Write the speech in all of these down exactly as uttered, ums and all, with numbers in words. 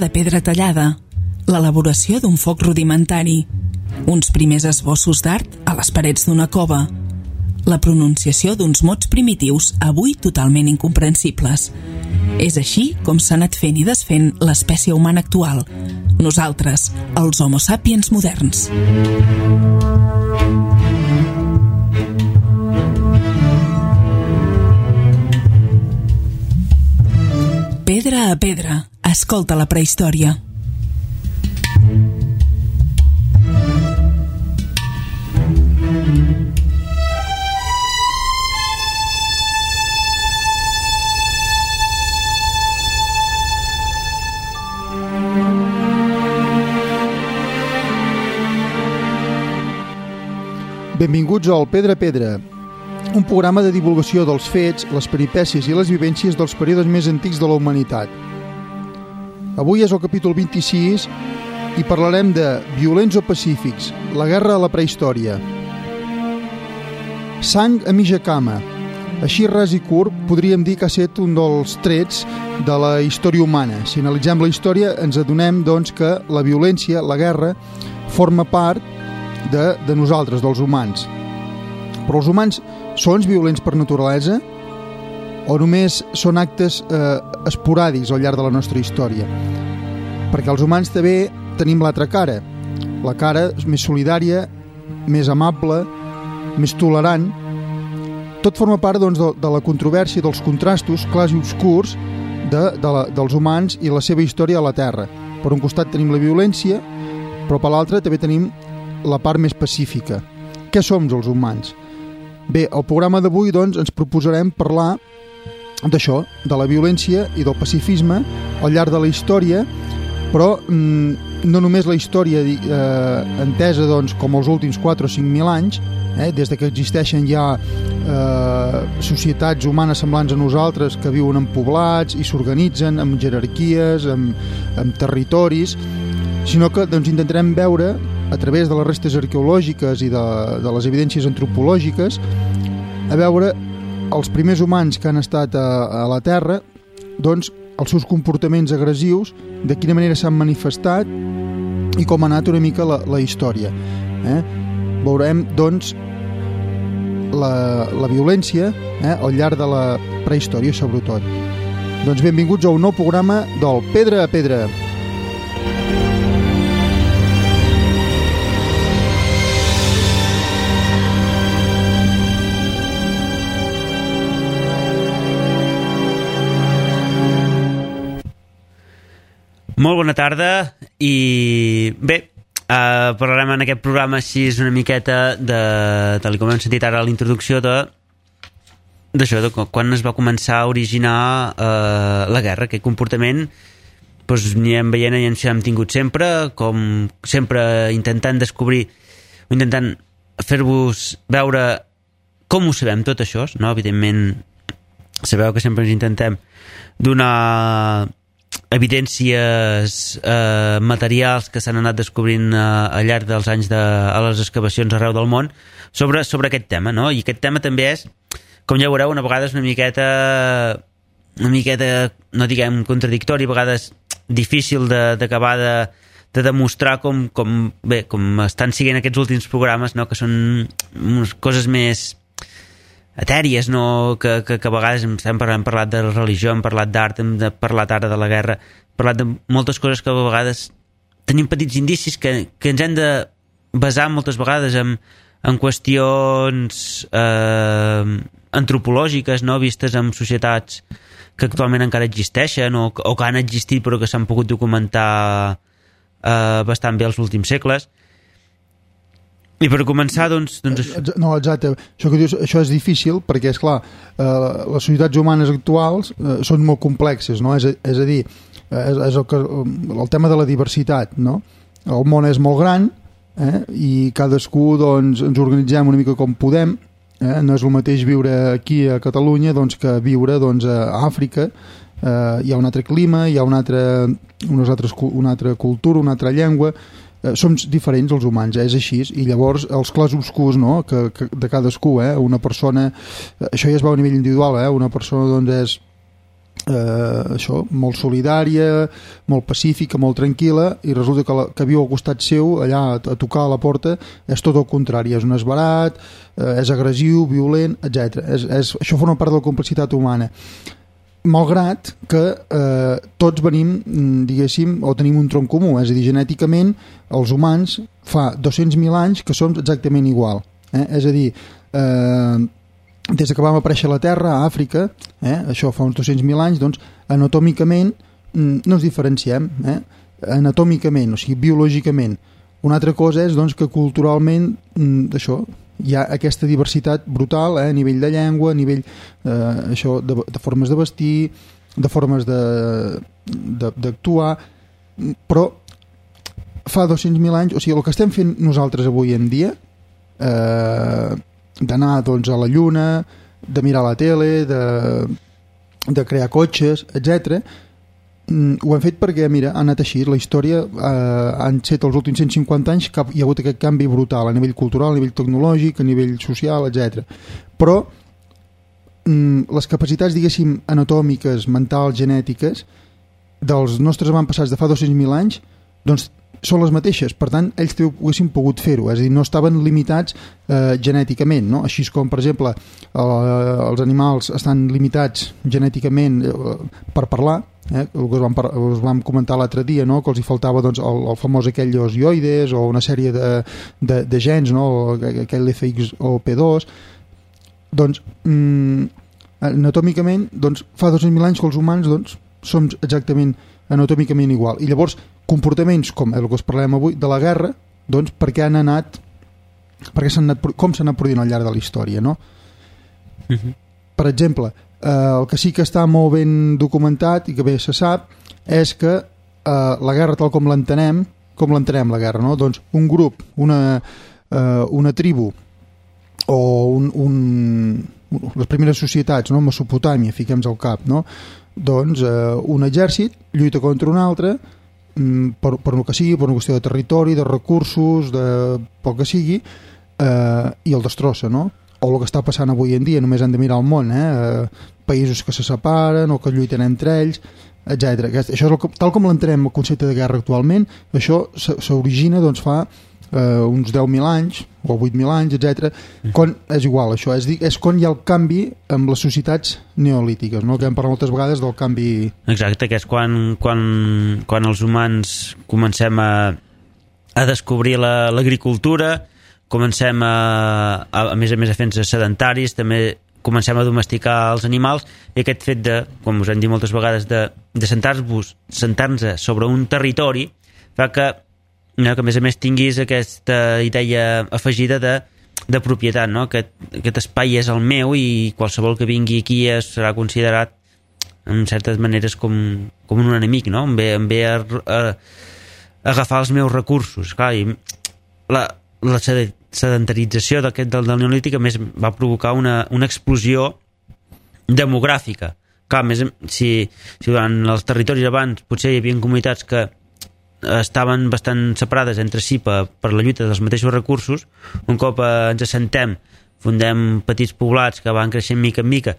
de pedra tallada, l'elaboració d'un foc rudimentari, uns primers esbossos d'art a les parets d'una cova, la pronunciació d'uns mots primitius avui totalment incomprensibles. És així com s'ha anat fent i desfent l'espècie humana actual, nosaltres, els Homo sapiens moderns. Pedra a pedra, escolta la prehistòria. Benvinguts al Pedra a Pedra, un programa de divulgació dels fets, les peripècies i les vivències dels períodes més antics de la humanitat. Avui és el capítol vint-i-sis i parlarem de violents o pacífics, la guerra a la prehistòria. Sang a mitja cama. Així ras i curt podríem dir que ha estat un dels trets de la història humana. Si analitzem la història ens adonem doncs, que la violència, la guerra, forma part de, de nosaltres, dels humans. Però els humans són violents per naturalesa o només són actes eh, esporàdics al llarg de la nostra història? Perquè els humans també tenim l'altra cara, la cara més solidària, més amable, més tolerant. Tot forma part doncs, de, de la controvèrsia, dels contrastos clars i obscurs de, de la, dels humans i la seva història a la Terra. Per un costat tenim la violència, però per l'altre també tenim la part més pacífica. Què som els humans? Bé, al programa d'avui doncs, ens proposarem parlar d'això, de la violència i del pacifisme al llarg de la història, però mm, no només la història eh, entesa doncs, com els últims quatre o cinc mil anys, eh, des de que existeixen ja eh, societats humanes semblants a nosaltres que viuen en poblats i s'organitzen amb jerarquies, amb, amb territoris, sinó que doncs, intentarem veure a través de les restes arqueològiques i de, de les evidències antropològiques, a veure els primers humans que han estat a, a la Terra, doncs els seus comportaments agressius, de quina manera s'han manifestat i com ha anat una mica la, la història. Eh? Veurem, doncs, la, la violència eh, al llarg de la prehistòria, sobretot. Doncs benvinguts a un nou programa del Pedra a Pedra. Molt bona tarda i bé, eh, parlarem en aquest programa així una miqueta de, tal com hem sentit ara a la introducció, de d'això, de quan es va començar a originar eh, la guerra, aquest comportament doncs n'hi hem veient i ens hem tingut sempre, com sempre intentant descobrir o intentant fer-vos veure com ho sabem tot això, no? Evidentment sabeu que sempre ens intentem donar evidències eh, materials que s'han anat descobrint eh, al llarg dels anys de, a les excavacions arreu del món sobre, sobre aquest tema, no? I aquest tema també és, com ja veureu, una vegada és una miqueta una miqueta, no diguem contradictori, a vegades difícil d'acabar de, de demostrar com, com, bé, com estan siguent aquests últims programes, no? Que són unes coses més etèries, no? que, que, que a vegades hem parlat, hem parlat de religió, hem parlat d'art, hem parlat ara de la guerra, hem parlat de moltes coses que a vegades tenim petits indicis que, que ens hem de basar moltes vegades en, en qüestions eh, antropològiques, no? Vistes en societats que actualment encara existeixen o, o que han existit però que s'han pogut documentar eh, bastant bé els últims segles. I per començar, doncs... doncs això. No, exacte. Això que dius, això és difícil perquè, esclar, eh, les societats humanes actuals eh, són molt complexes, no? És a, és a dir, és, és el, que, el tema de la diversitat, no? El món és molt gran eh, i cadascú doncs, ens organitzem una mica com podem. Eh? No és el mateix viure aquí a Catalunya doncs, que viure doncs, a Àfrica. Eh, hi ha un altre clima, hi ha una altra, unes altres, una altra cultura, una altra llengua. Eh, som diferents els humans, eh? És així, i llavors els clars obscurs, no? que, que de cadascú, eh? Una persona, això ja es va a nivell individual, eh? Una persona doncs és eh, això, molt solidària, molt pacífica, molt tranquil·la, i resulta que, la, que viu al costat seu, allà a, a tocar a la porta, és tot el contrari, és un esbarat, eh, és agressiu, violent, etcètera. És, és, això forma part de la complexitat humana. Malgrat que eh, tots venim, diguéssim, o tenim un tronc comú, és a dir, genèticament, els humans fa dos-cents mil anys que som exactament igual. Eh? És a dir, eh, des que vam aparèixer a la Terra, a Àfrica, eh, això fa uns dos-cents mil anys, doncs, anatòmicament no ens diferenciem, eh, anatòmicament, o sigui, biològicament. Una altra cosa és, doncs, que culturalment, això, hi ha aquesta diversitat brutal, eh, a nivell de llengua, a nivell eh, això, de, de formes de vestir, de formes d'actuar, però fa dos-cents mil anys, o sigui, el que estem fent nosaltres avui en dia, eh, d'anar, doncs, a la lluna, de mirar la tele, de, de crear cotxes, etcètera, ho hem fet perquè, mira, ha anat així. La història eh, han set els últims cent cinquanta anys que hi ha hagut aquest canvi brutal a nivell cultural, a nivell tecnològic, a nivell social, etcètera. Però mm, les capacitats, diguéssim, anatòmiques, mentals, genètiques dels nostres avantpassats de fa dos-cents mil anys, doncs són les mateixes, per tant ells també haguessin pogut fer-ho, és a dir, no estaven limitats eh, genèticament, no? Així com, per exemple, eh, els animals estan limitats genèticament eh, per parlar, eh, el que us vam, us vam comentar l'altre dia, no? Que els hi faltava, doncs, el, el famós aquell osioides o una sèrie de, de, de gens, no? Aquell F X O P dos, doncs mm, anatòmicament, doncs, fa dos-cents mil anys que els humans, doncs, som exactament anatòmicament igual, i llavors comportaments com el que us parlem avui de la guerra, doncs perquè han anat perquè s'han anat, com s'han anat produint al llarg de la història, no? Uh-huh. Per exemple, eh, el que sí que està molt ben documentat i que bé se sap és que eh, la guerra tal com l'entenem, com l'entenem la guerra, no? Doncs un grup, una, eh, una tribu o un, un, les primeres societats, no? Mesopotàmia, fiquem-nos al cap, no? Doncs eh, un exèrcit lluita contra un altre per, per el que sigui, per una qüestió de territori, de recursos, de pel que sigui, eh, i el destrossa, no? O el que està passant avui en dia, només han de mirar el món, eh? Països que se separen o que lluiten entre ells, etcètera. Això és el, tal com l'entenem el concepte de guerra actualment, això s'origina, doncs, fa eh, uns deu mil anys o vuit mil anys, etcètera. Quan és igual, això és, és quan hi ha el canvi amb les societats neolítiques, no? Que hem parlat moltes vegades del canvi. Exacte, que és quan, quan, quan els humans comencem a, a descobrir l'agricultura, la, comencem a, a, a més a més a fer-nos sedentaris, també comencem a domesticar els animals, i aquest fet de, com us hem dit moltes vegades, de, de sentar-vos sentar-nos sobre un territori fa que no, que a més a més tinguis aquesta idea afegida de, de propietat, no? Aquest, aquest espai és el meu i qualsevol que vingui aquí serà considerat en certes maneres com, com un enemic, no? Em ve, em ve a, a, a agafar els meus recursos. Clar, i la, la sedentarització d'aquest del, del neolític a més va provocar una, una explosió demogràfica. Clar, més, si, si durant els territoris abans potser hi havia comunitats que estaven bastant separades entre si per, per la lluita dels mateixos recursos, un cop eh, ens assentem, fundem petits poblats que van creixent mica en mica,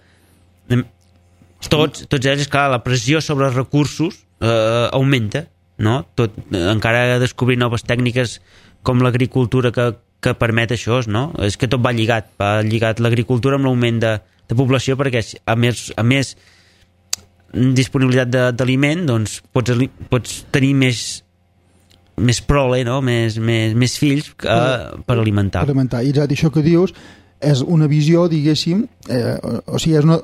tots, tots ells, clar, la pressió sobre els recursos eh, augmenta, no? Tot, encara descobrir noves tècniques com l'agricultura que, que permet això, no? És que tot va lligat, va lligat l'agricultura amb l'augment de, de població, perquè a més, a més disponibilitat d'aliment, doncs pots, pots tenir més més prole, no? més, més, més fills que, per alimentar. Per alimentar. I exacte, això que dius és una visió, diguéssim, eh, o sigui, és, una,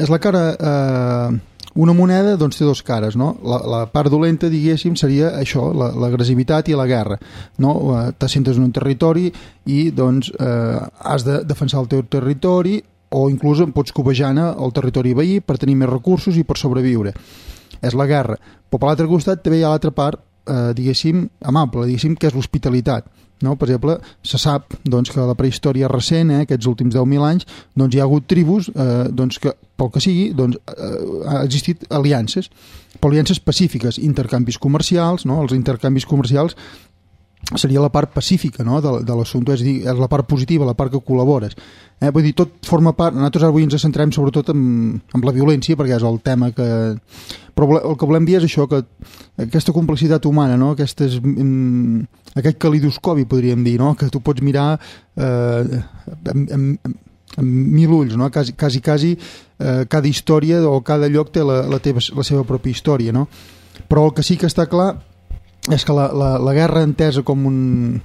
és la cara... Eh, una moneda, doncs, té dos cares, no? La, la part dolenta, diguéssim, seria això, l'agressivitat i la guerra, no? T'assentes en un territori i, doncs, eh, has de defensar el teu territori, o inclús pots cobejar el territori veí per tenir més recursos i per sobreviure. És la guerra. Però per l'altre costat també hi ha l'altra part, eh, diguéssim, amable, diguéssim, que és l'hospitalitat. No? Per exemple, se sap, doncs, que a la prehistòria recent, eh, aquests últims deu mil anys, doncs, hi ha hagut tribus eh, doncs, que, pel que sigui, doncs, eh, ha existit aliances, però aliances pacífiques, intercanvis comercials, no? Els intercanvis comercials seria la part pacífica, no?, de, de l'assumpte, és a dir, és la part positiva, la part que col·labores. Eh? Vull dir, tot forma part... Nosaltres avui ens centrem sobretot en, en la violència, perquè és el tema que... Però el que volem dir és això, que aquesta complexitat humana, no?, aquestes, mm, aquest calidoscopi, podríem dir, no?, que tu pots mirar eh, amb, amb, amb mil ulls, no?, quasi, quasi, quasi eh, cada història o cada lloc té la, la, teva, la seva pròpia història, no? Però el que sí que està clar és que la, la, la guerra entesa com un,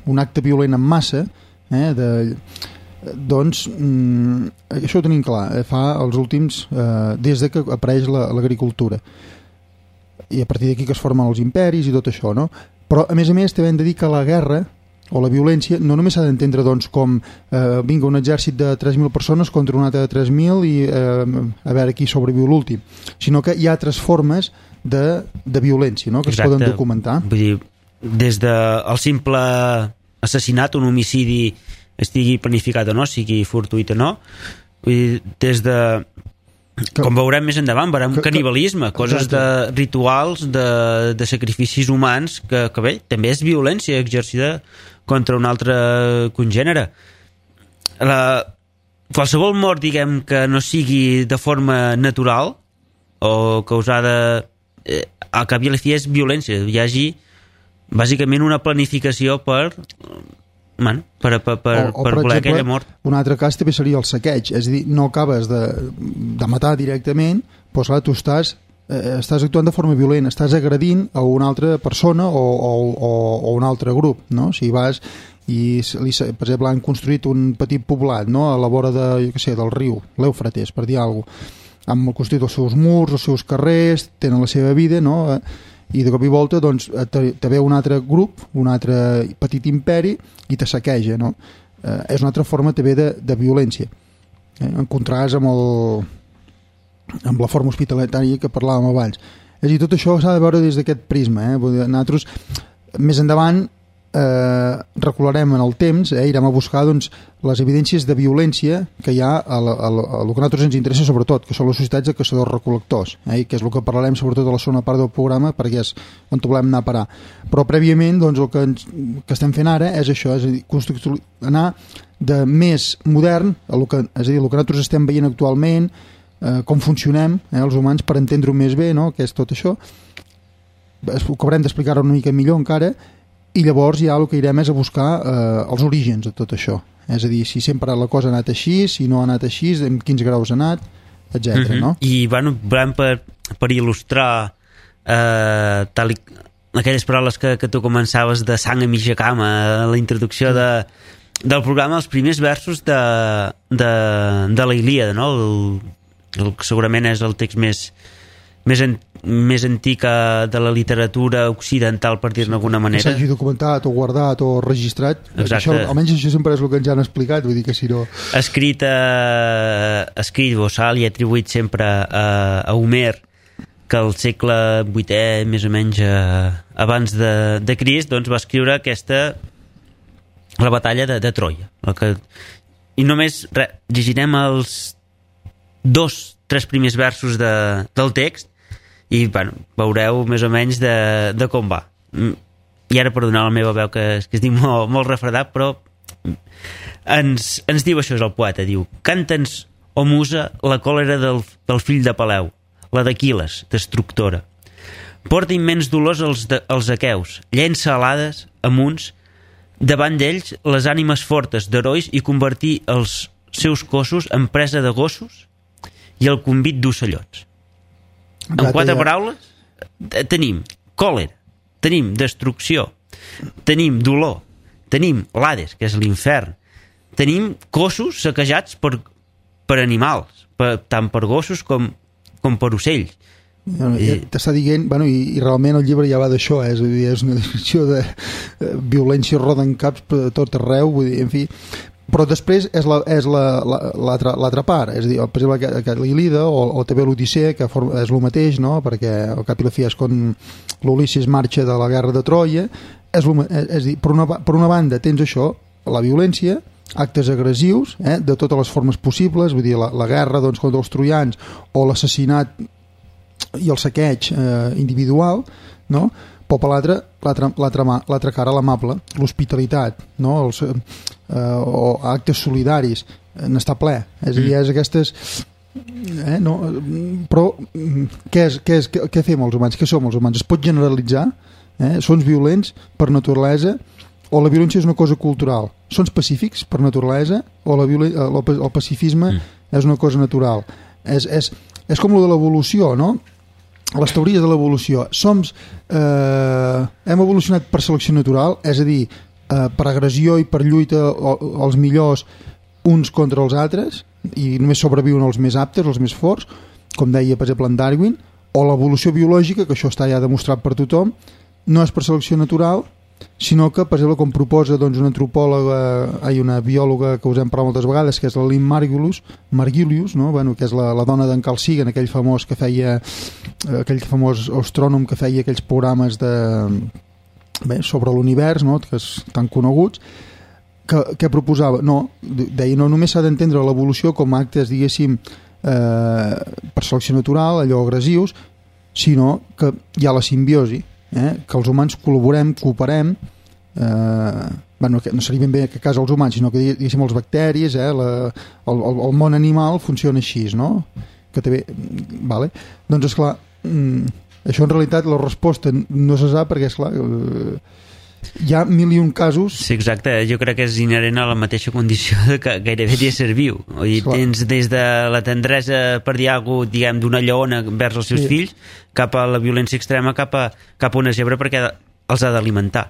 un acte violent en massa, eh, de, doncs mm, això ho tenim clar, eh, fa els últims eh, des de que apareix l'agricultura, i a partir d'aquí que es formen els imperis i tot això, no? Però a més a més també hem de dir que la guerra o la violència no només s'ha d'entendre doncs, com eh, vinga un exèrcit de tres mil persones contra un altre de tres mil i eh, a veure qui sobreviu l'últim, sinó que hi ha altres formes de, de violència, no?, que Exacte. Es poden documentar. Vull dir, des del simple assassinat, un homicidi estigui planificat o no, sigui fortuït o no, vull dir, des de... Que, com veurem més endavant, veurem que, canibalisme, que, coses exacte. De rituals, de, de sacrificis humans, que, que bé, també és violència exercida contra un altre congènere. La, qualsevol mort, diguem, que no sigui de forma natural o causada, eh, al cap i a la fi és violència. Hi hagi bàsicament una planificació per... Bueno, per, per, per, o, o, per, per voler exemple, aquella mort. Un altre cas també seria el saqueig, és a dir, no acabes de, de matar directament, però clar, tu estàs, eh, estàs actuant de forma violenta, estàs agredint a una altra persona o, o, o, o un altre grup, no? Si vas i, li, per exemple, han construït un petit poblat, no?, a la vora de, jo què sé, del riu, l'Eufrates, per dir alguna cosa, han construït els seus murs, els seus carrers, tenen la seva vida, no?, i de cop i volta doncs, te, te ve un altre grup, un altre petit imperi i te saqueja, no? Eh, és una altra forma també de, de violència, eh? En contrast amb, el, amb la forma hospitalària que parlàvem abans. És a dir, tot això s'ha de veure des d'aquest prisma, eh? Nosaltres més endavant eh, recularem en el temps, eh? Irem a buscar doncs, les evidències de violència que hi ha a, la, a, la, a el que a nosaltres ens interessa sobretot, que són les societats de caçadors-recol·lectors, eh? Que és el que parlarem sobretot a la segona part del programa, perquè és on volem anar a parar. Però prèviament doncs, el que, ens, que estem fent ara és això, és a dir, anar de més modern, a lo que, és a dir, el que nosaltres estem veient actualment, eh, com funcionem eh, els humans per entendre-ho més bé, no?, que és tot això, ho acabarem d'explicar-ho una mica millor encara, i llavors ja el que irem és a buscar eh, els orígens de tot això. És a dir, si sempre la cosa ha anat així, si no ha anat així, en quins graus ha anat, etcètera. Mm-hmm. No? I bueno, per, per il·lustrar eh, tal i, aquelles paraules que, que tu començaves de sang a mitja cama, a la introducció de, del programa, els primers versos de, de, de la Ilíada, no? el, el que segurament és el text més més, en, més antic de la literatura occidental, per dir-ne d'alguna manera. Que s'hagi documentat o guardat o registrat. Això, almenys això sempre és el que ens han explicat, vull dir que si no... Escrit, eh, escrit bossal i atribuït sempre a, a Homer, que al segle vuitè, més o menys eh, abans de, de Crist, doncs va escriure aquesta, la batalla de, de Troia. El que, I només re, llegirem els dos, tres primers versos de, del text i bueno, veureu més o menys de, de com va. I ara perdonar la meva veu, que, que es diu molt, molt refredat, però ens, ens diu això, és el poeta, diu: canta'ns, o musa, la còlera del, del fill de Peleu, la d'Aquiles, destructora. Porta immens dolors als, de, als aqueus, llença alades amunts, davant d'ells les ànimes fortes d'herois i convertir els seus cossos en presa de gossos i el convit d'ocellots. En quatre paraules tenim còlera, tenim destrucció, tenim dolor, tenim l'Hades, que és l'infern, tenim cossos saquejats per, per animals, per, tant per gossos com, com per ocells. Bueno, ja t'està dient, bueno, i, i realment el llibre ja va d'això, eh? És, a dir, és una descripció de eh, violència roda en caps per tot arreu, vull dir, en fi. Però després és la, és la, la, l'altra, l'altra part, és a dir, per exemple, que, que l'Ilíada o, o també l'Odissea, que forma, és el mateix, no? Perquè al cap i la fi és quan l'Ulisses marxa de la guerra de Troia, és, lo, és, és a dir, per una, per una banda tens això, la violència, actes agressius, eh? De totes les formes possibles, vull dir, la, la guerra doncs, contra els troians o l'assassinat i el saqueig eh, individual, no? però per l'altre, l'altra, l'altra, l'altra cara, l'amable, l'hospitalitat, no? Els, eh, o actes solidaris, n'està ple. És a dir, és aquestes... Eh, no? Però què, és, què, és, què, què fem els humans? Què som els humans? Es pot generalitzar? Eh? Són violents per naturalesa o la violència és una cosa cultural? Són pacífics per naturalesa o la violen... el pacifisme mm. és una cosa natural? És, és, és com lo de l'evolució, no? Les teories de l'evolució. Som, eh, hem evolucionat per selecció natural, és a dir, eh, per agressió i per lluita els millors uns contra els altres, i només sobreviuen els més aptes, els més forts, com deia, per exemple, en Darwin, o l'evolució biològica, que això està ja demostrat per tothom, no és per selecció natural, sinó que, per exemple, com proposa doncs, una antropòloga, ai, una biòloga que us hem parlat moltes vegades, que és la Lynn Margulius, Margulius, no? Bueno, que és la, la dona d'en Carl Sagan, aquell famós que feia, aquell famós astrònom que feia aquells programes de, bé, sobre l'univers, no? Que és tan coneguts, que, que proposava, no, deia, no només s'ha d'entendre l'evolució com actes, diguéssim, eh, per selecció natural, allò agressius, sinó que hi ha la simbiosi, eh? Que els humans col·laborem, cooperem, eh, bueno, no seria ben bé que a casa els humans, sinó que diguéssim els bacteris, eh? la, el, el, el món animal funciona així, no? Que també, vale? Doncs esclar, això en realitat la resposta no se sap perquè esclar, eh, hi ha mil i un casos. Sí, exacte, jo crec que és inherent a la mateixa condició de que gairebé és ser viu. Vull dir, tens des de la tendresa per dir alguna cosa, diguem, d'una lleona vers els seus sí. fills, cap a la violència extrema, cap a, cap a una zebra perquè els ha d'alimentar.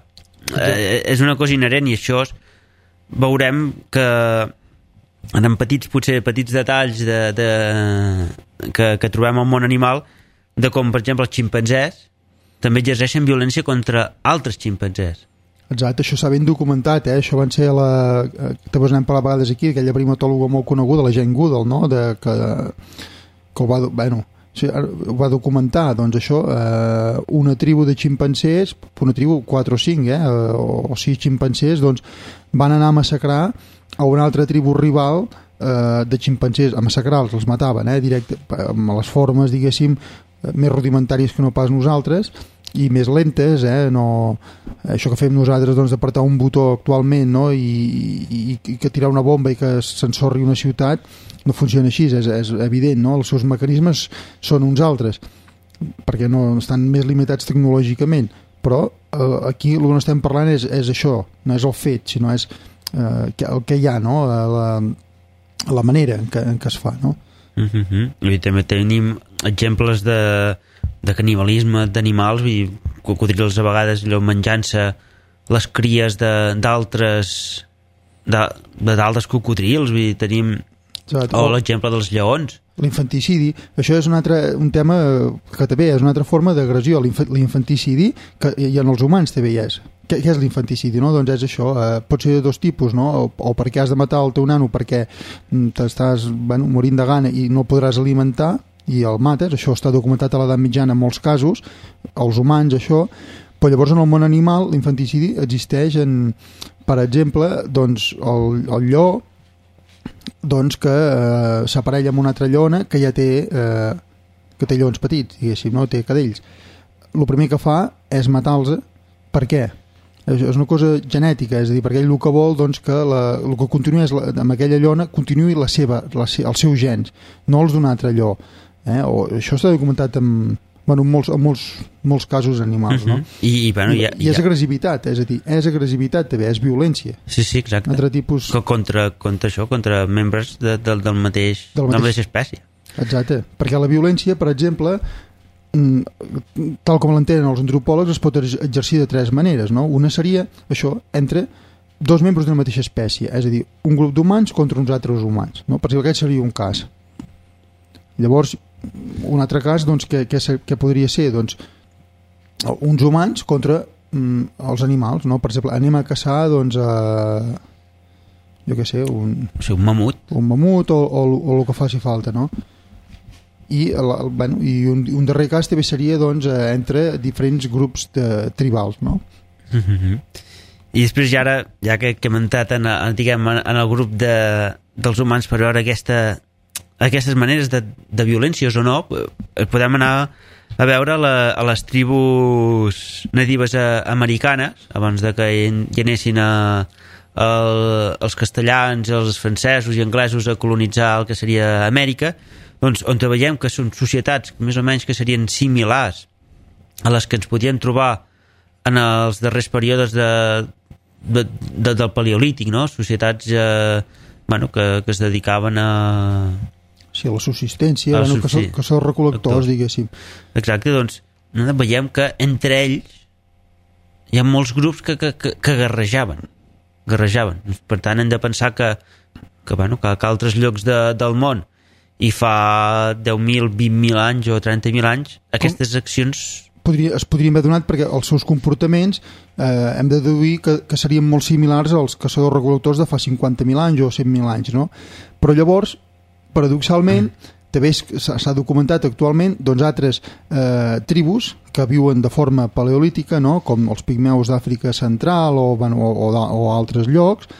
Eh, és una cosa inherent i això és, veurem que en petits, potser petits detalls de, de, que, que trobem al món animal, de com, per exemple, els ximpanzés també exerceixen violència contra altres ximpanzés. Exacte, això s'ha ben documentat, eh? Això van ser la... també us n'hem parlat a vegades aquí, aquella primatòloga molt coneguda, la Jane Goodall, no? De, que, que ho va... Bueno, sí, ho va documentar, doncs això, eh, una tribu de ximpancers, una tribu, quatre o cinc, eh? O, o sis ximpancers, doncs van anar a massacrar a una altra tribu rival eh, de ximpancers, a massacrar-los, els mataven, eh? Directe, amb les formes, diguéssim, més rudimentàries que no pas nosaltres i més lentes, eh? No, això que fem nosaltres doncs, d'apretar un botó actualment, no? I, i, i que tirar una bomba i que s'ensorri una ciutat no funciona així, és, és evident, no? Els seus mecanismes són uns altres perquè no estan més limitats tecnològicament, però eh, aquí el que estem parlant és, és això, no és el fet, sinó és eh, el que hi ha, no? La, la manera en què, en què es fa, no? Uh-huh. I també tenim exemples de, de canibalisme d'animals, i cocodrils a vegades menjant-se les cries d'altres de, de d'altres cocodrils, vull dir, tenim Exacte. O l'exemple dels lleons, l'infanticidi. Això és un altre un tema que també és una altra forma d'agressió, l'infanticidi, que i en els humans també hi és. Què, què és l'infanticidi? No? Doncs és això, eh, pot ser de dos tipus, no? o, o perquè has de matar el teu nano perquè t'estàs bueno, morint de gana i no el podràs alimentar i el mates, això està documentat a l'edat mitjana en molts casos, els humans això, però llavors en el món animal l'infanticidi existeix en, per exemple, doncs el, el lleó doncs que eh, s'aparella amb una altra lleona que ja té eh, que té lleons petits, diguéssim, no? Té cadells. El primer que fa és matar-los. Per què? És una cosa genètica, és a dir, perquè ell el que vol doncs, que la, el que continua és la, amb aquella llona continuï la seva, la, els seus gens, no els d'un altre lleó. Eh? O, això està documentat en, bueno, en, molts, en molts, molts casos animals. Uh-huh. No? I, i, bueno, ja, I és ja... agressivitat, és a dir, és agressivitat també, és violència. Sí, sí, exacte. Altre tipus... Contra, contra això, contra membres de, de, del mateix, del mateix... de la mateixa espècie. Exacte, perquè la violència, per exemple, tal com l'entenen els antropòlegs, es pot exercir de tres maneres, no? Una seria això, entre dos membres d'una mateixa espècie, és a dir, un grup d'humans contra uns altres humans, no? Per exemple, aquest seria un cas. Llavors, un altre cas, doncs, que, que, que podria ser, doncs, uns humans contra mm, els animals, no? Per exemple, anem a caçar, doncs, a, jo què sé, un... O sigui, un mamut. Un mamut o, o, o el que faci falta, no? I, el, el, bueno, i un, un darrer cas també seria doncs, entre diferents grups de, tribals, no? Mm-hmm. I després ja ara, ja que, que hem entrat en, en, diguem, en el grup de, dels humans per veure aquesta aquestes maneres de, de violències o no, podem anar a veure la, a les tribus natives a, americanes, abans de que hi anessin a, a, els castellans, els francesos i anglesos a colonitzar el que seria Amèrica, doncs on veiem que són societats més o menys que serien similars a les que ens podíem trobar en els darrers períodes de, de, de, del paleolític, no? Societats eh, bueno, que, que es dedicaven a... Sí, a la subsistència, a la bueno, que, són, que són recol·lectors, diguéssim. Exacte, doncs veiem que entre ells hi ha molts grups que, que, que, que guerrejaven. guerrejaven. Per tant, hem de pensar que, que, bueno, que, que altres llocs de, del món i fa deu mil, vint mil anys o trenta mil anys, aquestes Com? accions... Podria, es podrien haver donat perquè els seus comportaments eh, hem de deduir que, que serien molt similars als caçadors-recol·lectors de fa cinquanta mil anys o cent mil anys, no? Però llavors, paradoxalment, mm. també s'ha documentat actualment doncs, altres eh, tribus que viuen de forma paleolítica, no? Com els pigmeus d'Àfrica Central o, bueno, o, o, o altres llocs,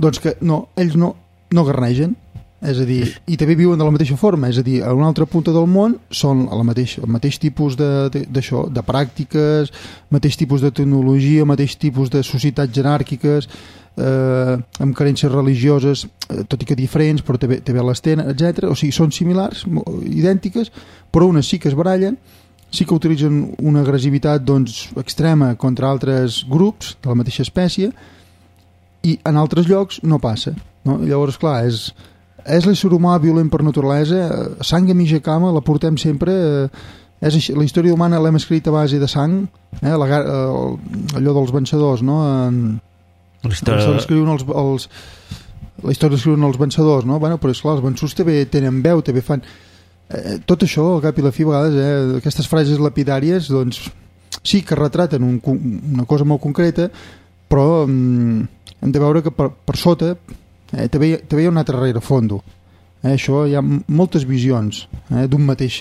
doncs que no, ells no, no guernegen, és a dir, i també viuen de la mateixa forma, és a dir, a una altra punta del món són el mateix, el mateix tipus de, de, d'això, de pràctiques, mateix tipus de tecnologia, mateix tipus de societats jeràrquiques, eh, amb carències religioses, eh, tot i que diferents, però també, també les tenen, etcètera. O sigui, són similars, idèntiques, però unes sí que es barallen, sí que utilitzen una agressivitat doncs, extrema contra altres grups de la mateixa espècie, i en altres llocs no passa, no? Llavors, clar, és... és l'ésser humà violent per naturalesa, sang a mitja cama la portem sempre, és així, la història humana l'hem escrit a base de sang, eh, la, allò dels vencedors, no? En, la història l'escriuen els, els la història l'escriuen els vencedors, no? Bueno, però esclar, els vençuts també tenen veu, també fan eh, tot això, al cap i la fi a vegades, eh, aquestes frases lapidàries, doncs sí que retraten un, una cosa molt concreta, però mm, hem de veure que per, per sota Eh, també, també hi ha un altre rerefons. Eh, això hi ha moltes visions eh, d'un mateix,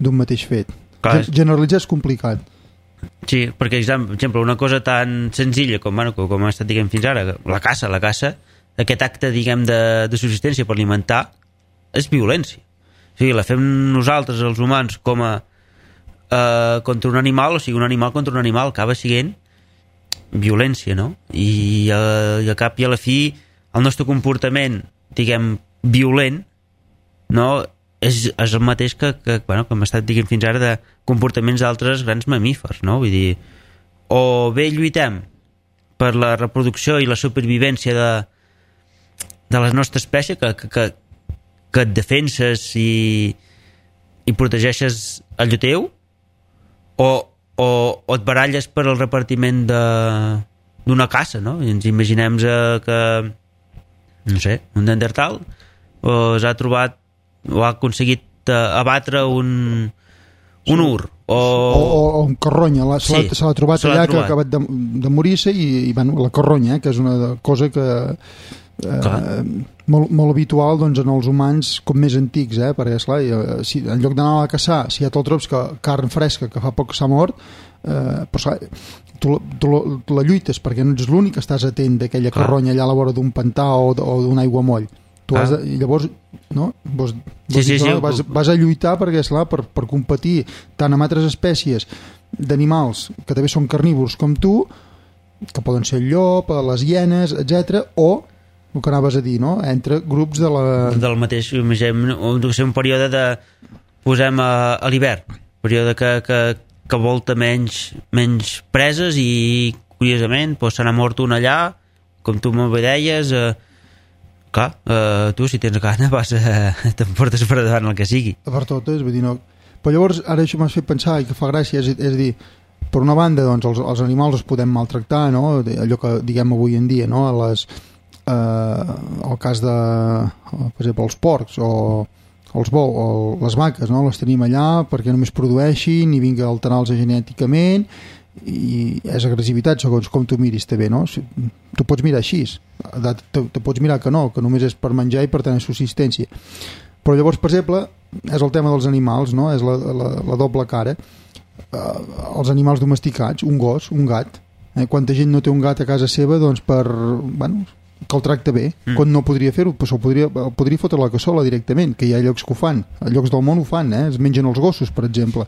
d'un mateix fet. Clar, generalitzar és complicat. Sí, perquè, per exemple, una cosa tan senzilla com, bueno, com ha estat, diguem, fins ara, la caça, la caça, aquest acte, diguem, de, de subsistència per alimentar, és violència. O sigui, la fem nosaltres, els humans, com a eh, contra un animal, o sigui, un animal contra un animal, acaba sent violència, no? I, eh, i a cap i a la fi el nostre comportament, diguem, violent, no, és, és el mateix que, que, bueno, que hem estat, diguem, fins ara de comportaments d'altres grans mamífers, no? Vull dir, o bé lluitem per la reproducció i la supervivència de, de la nostra espècie, que, que, que et defenses i, i protegeixes allò teu, o, o, o et baralles per el repartiment de, d'una caça, no? I ens imaginem que no sé, un Neandertal o s'ha trobat o ha aconseguit uh, abatre un un sí. ur o... O, o un carronya la, se, sí, l'ha, se l'ha trobat se l'ha allà trobat. Que ha acabat de, de morir-se i, i bueno, la carronya, que és una cosa que eh, molt, molt habitual doncs, en els humans com més antics, eh? Perquè esclar, si, en lloc d'anar a caçar, si ja te'l trobes que carn fresca que fa poc que s'ha mort, eh, però esclar, tu, tu, tu la lluites perquè no ets l'únic que estàs atent d'aquella carronya allà a la vora d'un pantà o, o d'un aiguamoll. Tu ah. has de, i llavors no? Vos, vos sí, sí, sí, vas, vas a lluitar perquè, esclar, per, per competir tant amb altres espècies d'animals que també són carnívors com tu, que poden ser el llop, les hienes, etcètera, o el que anaves a dir, no? Entre grups de la... del mateix, imaginem, un període de posem a, a l'hivern, període que, que, que volta menys, menys preses i curiosament doncs, se n'ha mort un allà, com tu m'ho deies, eh, clar, eh, tu si tens gana vas a, t'emportes per davant el que sigui. Per totes, vull dir, no... Però llavors ara això m'has fet pensar i que fa gràcia, és, és dir, per una banda doncs, els, els animals els podem maltractar, no? Allò que diguem avui en dia, no? Les, eh, el cas de, per exemple, els porcs o els bous o les vaques, no? Les tenim allà perquè només produeixin i vinga a alterar-los genèticament i és agressivitat segons com tu miris també, no? Tu pots mirar així, te, te pots mirar que no, que només és per menjar i per tenir subsistència, però llavors per exemple és el tema dels animals, no? És la, la, la doble cara, eh, els animals domesticats, un gos, un gat, eh? Quanta gent no té un gat a casa seva doncs per, bueno, que el tracta bé, mm. quan no podria fer-ho, però podria, podria fotre la cassola directament, que hi ha llocs que ho fan, a llocs del món ho fan, eh? Es mengen els gossos, per exemple,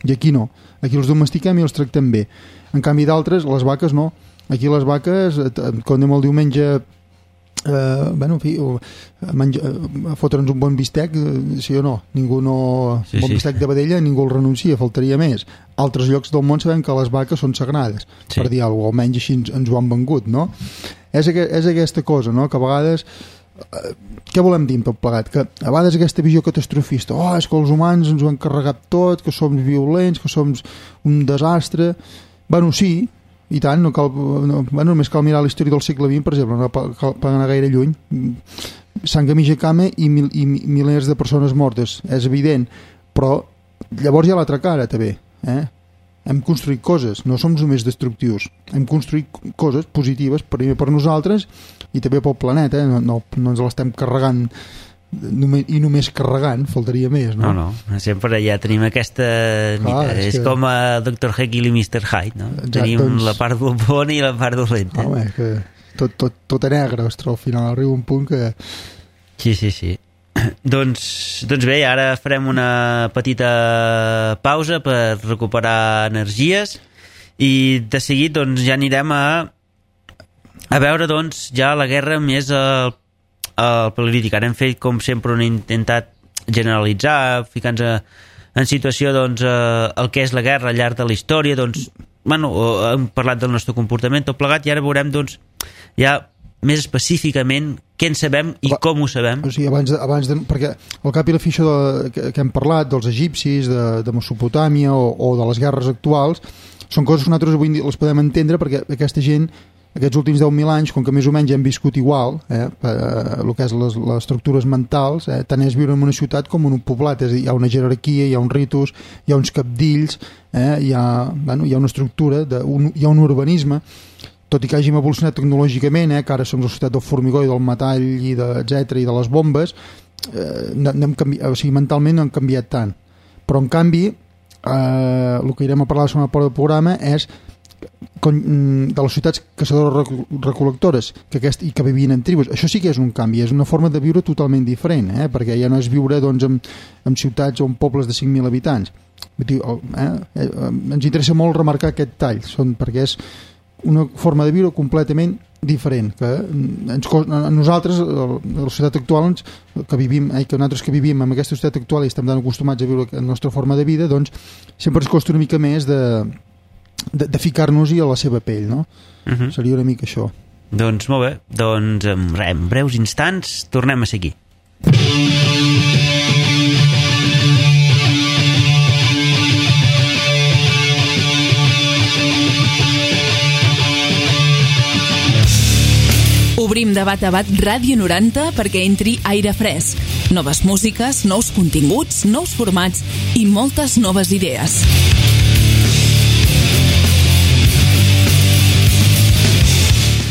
i aquí no, aquí els domestiquem i els tractem bé. En canvi d'altres, les vaques no, aquí les vaques, quan anem el diumenge Uh, bueno, en fi, uh, menja, uh, fotre'ns un bon bistec, uh, sí o no, ningú no sí, un bon sí. bistec de vedella ningú el renuncia, faltaria més. Altres llocs del món sabem que les vaques són sagrades, sí. per dir alguna cosa, almenys així ens, ens ho han vengut, no? És, és aquesta cosa, no?, que a vegades uh, què volem dir amb tot plegat? Que a vegades aquesta visió catastrofista, oh, és que els humans ens ho han carregat tot, que som violents, que som un desastre. Bueno, sí, i tant, no cal, no, bueno, només cal mirar la història del segle vint, per exemple, no cal, cal anar gaire lluny. Sanghamija Kame i, mil, i milers de persones mortes, és evident, però llavors hi ha l'altra cara també, eh? Hem construït coses, no som només destructius, hem construït coses positives primer per nosaltres i també pel planeta, eh? no, no, no ens l'estem carregant només, i només carregant, faltaria més, no? No, no, sempre ja tenim aquesta... Clar, és, és que... com a doctor Jekyll i mister Hyde, no? Exacte, tenim doncs... la part bona i la part dolenta. Home, que tot, tot, tot a negre, ostres, al final arriba un punt que... Sí, sí, sí. doncs, doncs bé, ara farem una petita pausa per recuperar energies i de seguit doncs, ja anirem a a veure doncs, ja la guerra més al el polític. Ara hem fet, com sempre, un intentat generalitzar, ficar-nos en situació doncs, eh, el que és la guerra al llarg de la història, doncs, bueno, hem parlat del nostre comportament, tot plegat, i ara veurem doncs, ja més específicament què en sabem i Aba, com ho sabem. O sigui, abans, de, abans de, perquè al cap i la fi això de, que, que hem parlat dels egipcis, de, de Mesopotàmia o, o de les guerres actuals, són coses que nosaltres avui les podem entendre perquè aquesta gent aquests últims deu mil anys, com que més o menys hem viscut igual, eh, per, eh, el que és les, les estructures mentals, eh, tant és viure en una ciutat com en un poblat, és a dir, hi ha una jerarquia, hi ha un ritus, hi ha uns capdills, eh, hi, ha, bueno, hi ha una estructura, de, un, hi ha un urbanisme, tot i que hàgim evolucionat tecnològicament, eh, que ara som la societat del formigó i del metall i de, etcètera, i de les bombes, eh, n'hem canviat, o sigui, mentalment no hem canviat tant. Però, en canvi, eh, el que irem a parlar la segona part del programa és de les ciutats caçadores-recol·lectores que aquest, i que vivien en tribus. Això sí que és un canvi, és una forma de viure totalment diferent, eh? Perquè ja no és viure doncs, en, en ciutats o en pobles de cinc mil habitants. Eh? Eh, ens interessa molt remarcar aquest tall, són, perquè és una forma de viure completament diferent, que ens, nosaltres, la societat actual ens, que vivim, eh, que nosaltres que vivim en aquesta societat actual i estem tan acostumats a viure la nostra forma de vida, doncs sempre ens costa una mica més de De, de ficar-nos-hi a la seva pell, no? Uh-huh. Seria una mica això. Doncs molt bé, doncs en, en breus instants tornem a seguir. Obrim de bat a bat Ràdio noranta perquè entri aire fresc, noves músiques, nous continguts, nous formats i moltes noves idees.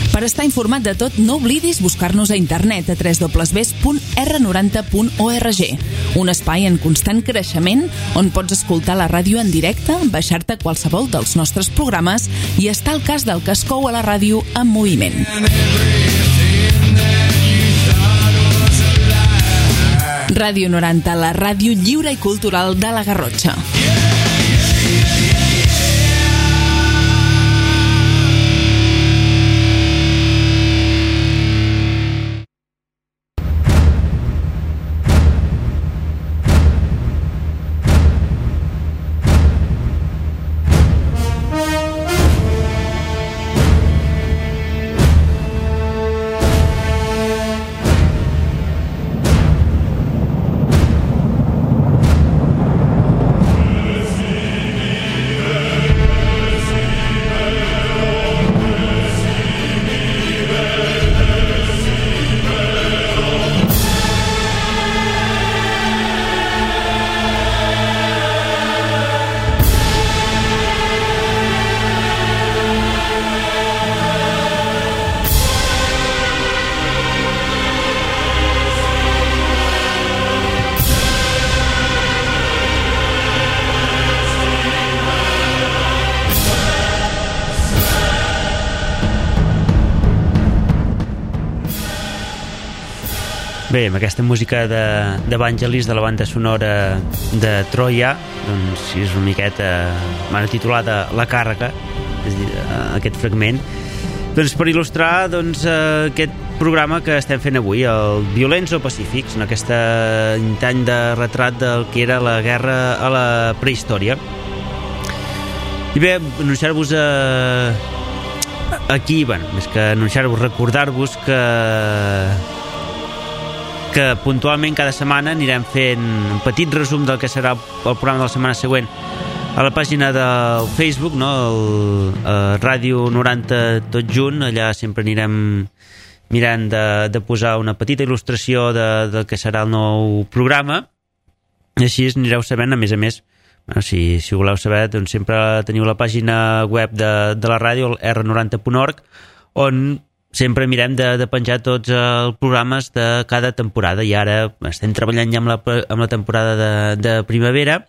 Per estar informat de tot, no oblidis buscar-nos a internet a w w w punt r noranta punt org, un espai en constant creixement on pots escoltar la ràdio en directe, baixar-te qualsevol dels nostres programes i estar al cas del que es cou a la ràdio en moviment. Ràdio noranta, la ràdio lliure i cultural de la Garrotxa. Bé, amb aquesta música d'Evangelis, de, de la banda sonora de Troia, doncs és una miqueta, m'han titulat La càrrega, és a dir, aquest fragment, doncs per il·lustrar doncs, aquest programa que estem fent avui, el Violents o Pacífics, en aquest any de retrat del que era la guerra a la prehistòria. I bé, anunciar-vos a... aquí, bueno, més que anunciar-vos, recordar-vos que que puntualment cada setmana anirem fent un petit resum del que serà el programa de la setmana següent a la pàgina del Facebook, no? el, el Ràdio noranta tot junt, allà sempre anirem mirant de, de posar una petita il·lustració de, del que serà el nou programa, i així anireu sabent, a més a més, bueno, si, si voleu saber, doncs sempre teniu la pàgina web de, de la ràdio, el erre noranta punt org, on sempre mirem de, de penjar tots els programes de cada temporada, i ara estem treballant ja amb la, amb la temporada de, de primavera,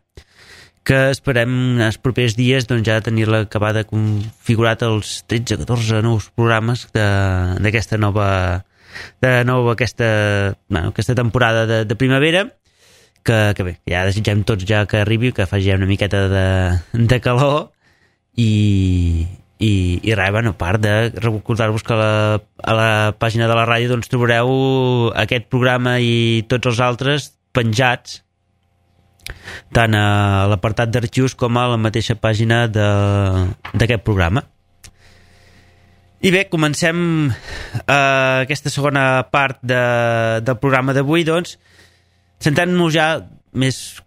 que esperem en els propers dies doncs, ja tenir-la acabada configurat els tretze o catorze nous programes d'aquesta nova, de nova aquesta, bueno, aquesta temporada de, de primavera, que, que bé, ja desitgem tots ja que arribi, que faci ja una miqueta de, de calor, i I, i res, bueno, a part de recordar-vos que a la, a la pàgina de la ràdio doncs, trobareu aquest programa i tots els altres penjats tant a l'apartat d'arxius com a la mateixa pàgina d'aquest programa. I bé, comencem eh, aquesta segona part de, del programa d'avui, doncs, centrant-nos ja més...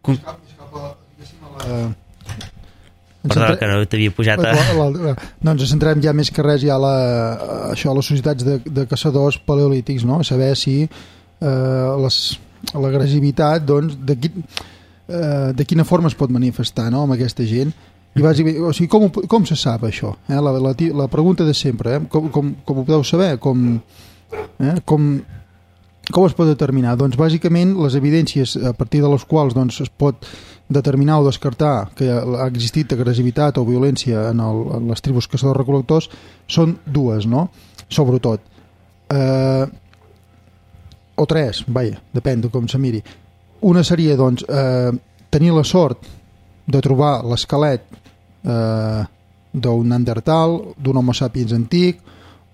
Perdó, que no t'havia pujat a... No, ens centrem ja més que res ja a, la, a això, a les societats de, de caçadors paleolítics, no? A saber si eh, l'agressivitat, doncs, de, qui, eh, de quina forma es pot manifestar, no?, amb aquesta gent. I bàsicament, o sigui, com, com se sap això? Eh? La, la, la pregunta de sempre, eh? com, com, com ho podeu saber? Com, eh? com, com es pot determinar? Doncs, bàsicament, les evidències a partir de les quals doncs, es pot determinar o descartar que ha existit agressivitat o violència en, el, en les tribus caçadors-recol·lectors són dues, no? Sobretot. Eh, o tres, vaja, depèn de com se miri. Una seria, doncs, eh, tenir la sort de trobar l'esquelet eh, d'un Neandertal, d'un Homo sapiens antic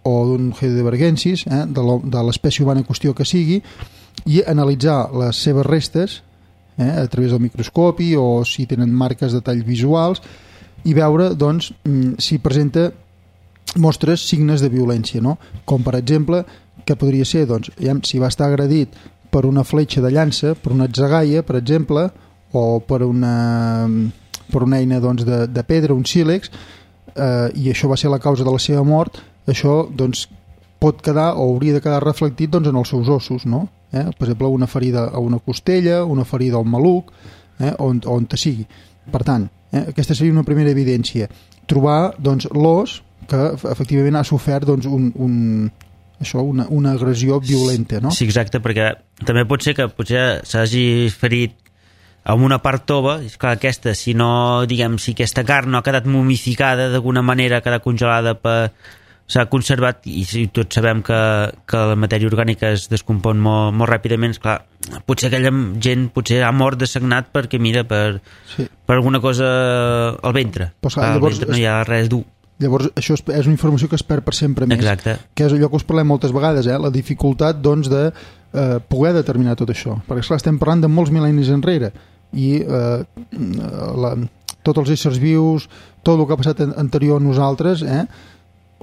o d'un Heidelbergensis, eh, de l'espècie humana en qüestió que sigui, i analitzar les seves restes Eh, a través del microscopi o si tenen marques de tall visuals i veure doncs, si presenta mostres signes de violència, no? Com per exemple que podria ser doncs, si va estar agredit per una fletxa de llança, per una atzagaia per exemple, o per una, per una eina doncs, de, de pedra, un sílex, eh, i això va ser la causa de la seva mort, això doncs, pot quedar o hauria de quedar reflectit doncs, en els seus ossos, no? Eh? Per exemple, una ferida a una costella, una ferida al maluc, eh? on, on te sigui. Per tant, eh? aquesta seria una primera evidència. Trobar doncs, l'os que efectivament ha sofert doncs, un, un, això, una, una agressió violenta. No? Sí, exacte, perquè també pot ser que potser s'hagi ferit amb una part tova, és clar, aquesta, si no, diguem, si aquesta carn no ha quedat momificada d'alguna manera, ha quedat congelada per... s'ha conservat, i tots sabem que, que la matèria orgànica es descompon molt, molt ràpidament, esclar, potser aquella gent potser ha mort de sagnat perquè mira, per, sí. per alguna cosa al ventre, Però, clar, al llavors, ventre no hi ha res dur. Llavors això és, és una informació que es perd per sempre més. Exacte. Que és allò que us parlem moltes vegades, eh? La dificultat doncs, de eh, poder determinar tot això, perquè esclar, estem parlant de molts mil·lennis enrere i eh, la, tots els éssers vius, tot el que ha passat anterior a nosaltres, eh?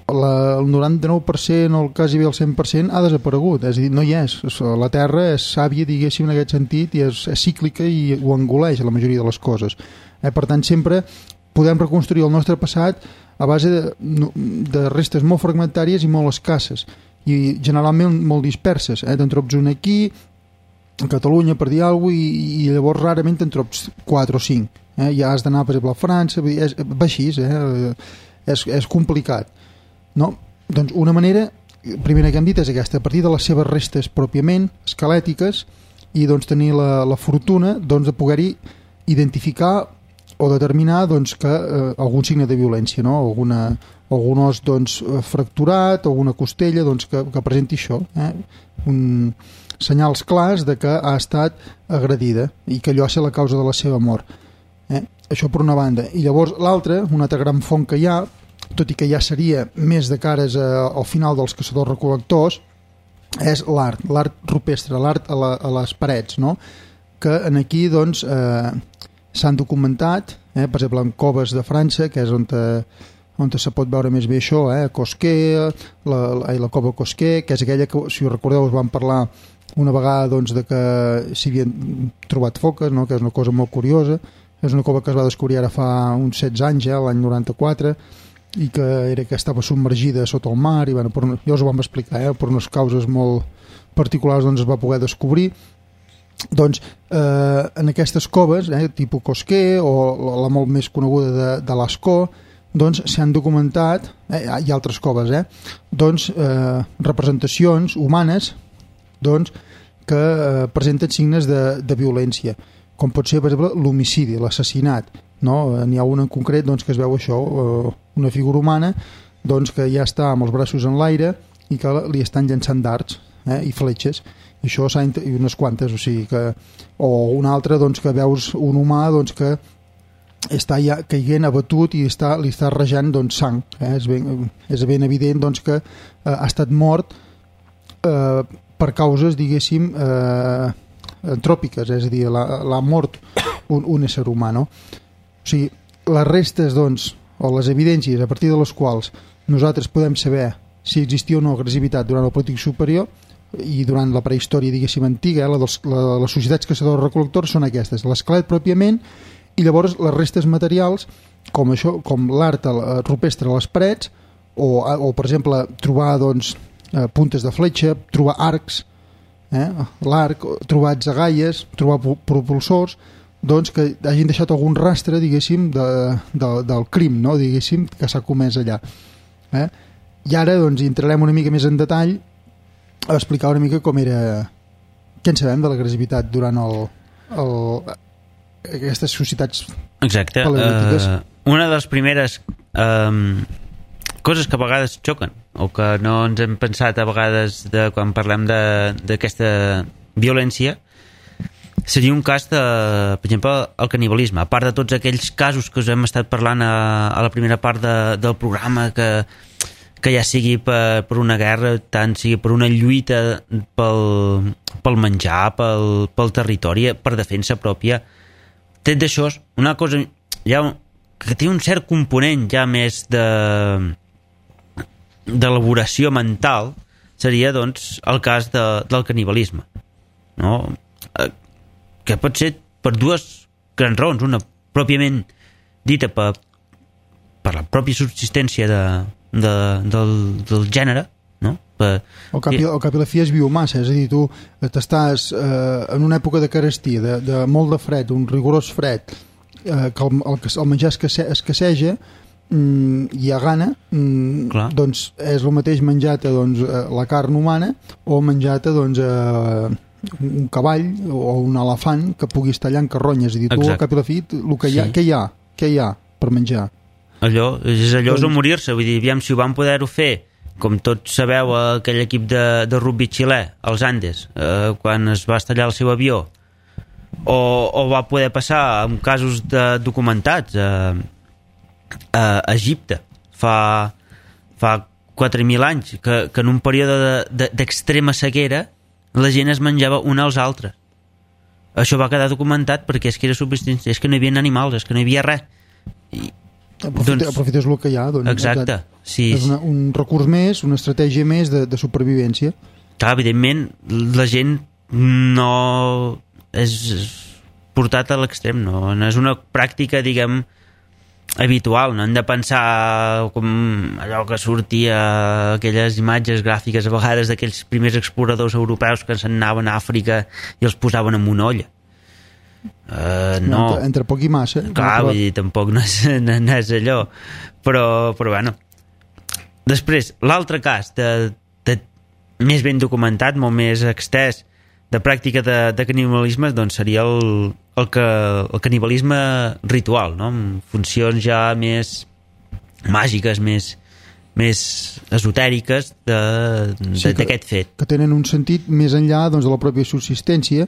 La, el noranta-nou per cent o el quasi bé el cent per cent ha desaparegut, és a dir, no hi és. La Terra és sàvia, diguéssim, en aquest sentit, i és, és cíclica i ho engoleix la majoria de les coses. Eh? Per tant, sempre podem reconstruir el nostre passat a base de, de restes molt fragmentàries i molt escasses, i generalment molt disperses. Eh? Te'n trobs una aquí, a Catalunya, per dir alguna cosa, i, i llavors rarament te'n trobs quatre o cinc. Eh? Ja has d'anar, per exemple, a França, és, va així, eh? és, és complicat. No? Doncs una manera, primera que hem dit, és aquesta, a partir de les seves restes pròpiament esquelètiques, i doncs tenir la, la fortuna doncs, de poder-hi identificar o determinar doncs, que eh, algun signe de violència, no? Alguna, algun os doncs, fracturat, alguna costella doncs, que, que presenti això. Eh? Un, senyals clars de que ha estat agredida i que allò ha estat la causa de la seva mort. Eh? Això per una banda. I llavors l'altra, una altra gran font que hi ha, tot i que ja seria més de cares a, al final dels caçadors-recol·lectors, és l'art, l'art rupestre, l'art a, la, a les parets, no? Que en aquí doncs, eh, s'han documentat, eh, per exemple en coves de França, que és on, te, on te se pot veure més bé això, eh? Cosquer, la, la, la cova Cosquer, que és aquella que, si us recordeu, us vam parlar una vegada doncs, de que s'hi havien trobat foques, no? Que és una cosa molt curiosa. És una cova que es va descobrir ara fa uns setze anys, eh? L'any noranta-quatre, i que era que estava submergida sota el mar, i bueno, per, ja us ho vam explicar, eh? Per unes causes molt particulars doncs, es va poder descobrir. Doncs eh, en aquestes coves, eh, tipus Cosquer o la, la molt més coneguda de, de Lascaux, doncs s'han documentat, eh, hi ha altres coves, eh, doncs eh, representacions humanes doncs, que eh, presenten signes de, de violència, com pot ser, per exemple, l'homicidi, l'assassinat, no? N'hi ha un en concret doncs, que es veu això, eh, una figura humana doncs, que ja està amb els braços en l'aire i que li estan llançant dards eh, i fletxes, i això s'ha i unes quantes, o sigui que o una altra doncs, que veus un humà doncs, que està ja caient abatut i està, li està rejant doncs, sang, eh? és, ben, és ben evident doncs, que eh, ha estat mort eh, per causes, diguéssim, eh, antròpiques, és a dir, l'ha mort un, un ésser humà, no? O sigui, les restes, doncs, o les evidències a partir de les quals nosaltres podem saber si existia o no agressivitat durant el Paleolític superior i durant la prehistòria, diguéssim, antiga, eh, la dels, la, les societats caçadors-recol·lectors són aquestes, l'esquelet pròpiament, i llavors les restes materials, com això, com l'art rupestre a les parets, o, o per exemple, trobar doncs, eh, puntes de fletxa, trobar arcs, eh, l'arc, trobar atzagaies, trobar propulsors, doncs que hagin deixat algun rastre, diguéssim, de, de, del crim, no? Diguéssim, que s'ha comès allà. Eh? I ara doncs, entrarem una mica més en detall a explicar una mica com era, què en sabem de l'agressivitat durant el, el, aquestes societats Exacte. paleolítiques. Uh, una de les primeres um, coses que a vegades xoquen o que no ens hem pensat a vegades de, quan parlem d'aquesta violència seria un cas de, per exemple, el canibalisme. A part de tots aquells casos que us hem estat parlant a, a la primera part de, del programa, que, que ja sigui per, per una guerra, tant sigui per una lluita pel, pel menjar, pel, pel territori, per defensa pròpia. Tret d'això, una cosa ja, que té un cert component ja més de d'elaboració mental seria, doncs, el cas de, del canibalisme. No? Que pot ser per dues grans raons. Una pròpiament dita per, per la pròpia subsistència de, de, del, del gènere, no? Per, el cap, i, el cap i la fi és biomassa, és a dir, tu t'estàs eh, en una època de carestia, de, de molt de fred, un rigorós fred, eh, que el, el, el menjar escasse, escasseja mm, i a gana, mm, doncs és el mateix menjar-te doncs, la carn humana o menjar-te doncs, eh, un cavall o un elefant que puguis tallar en carronya. És a dir, tu al cap i la fi, el que hi ha, sí. què hi ha? Què hi ha per menjar? Allò, és allò doncs... o morir-se. Vull dir, aviam, si ho van poder-ho fer, com tots sabeu, aquell equip de, de rugby xilè, els Andes, eh, quan es va estallar el seu avió, o, o va poder passar en casos de, documentats a, a Egipte fa, fa quatre mil anys, que, que en un període d'extrema de, de, sequera la gent es menjava un als altres. Això va quedar documentat perquè és que era subsistència, és que no hi havia animals, és que no hi havia res. I, Aprofita, doncs, aprofites el que hi ha. Doncs, exacte. Sí. És una, un recurs més, una estratègia més de, de supervivència. Clar, evidentment, la gent no és portat a l'extrem, no, no és una pràctica, diguem, habitual. No hem de pensar com allò que sortia, aquelles imatges gràfiques a vegades d'aquells primers exploradors europeus que se'n anaven a Àfrica i els posaven en una olla. Uh, no. Entre, entre poc i massa. Clar, vull dir, tampoc no és, no, no és allò. Però, però bueno. Després, l'altre cas de, de més ben documentat, molt més extès, de pràctica de, de canibalisme, doncs seria el, el, que, el canibalisme ritual, no? Amb funcions ja més màgiques, més, més esotèriques d'aquest sí, que, fet. Que tenen un sentit més enllà doncs, de la pròpia subsistència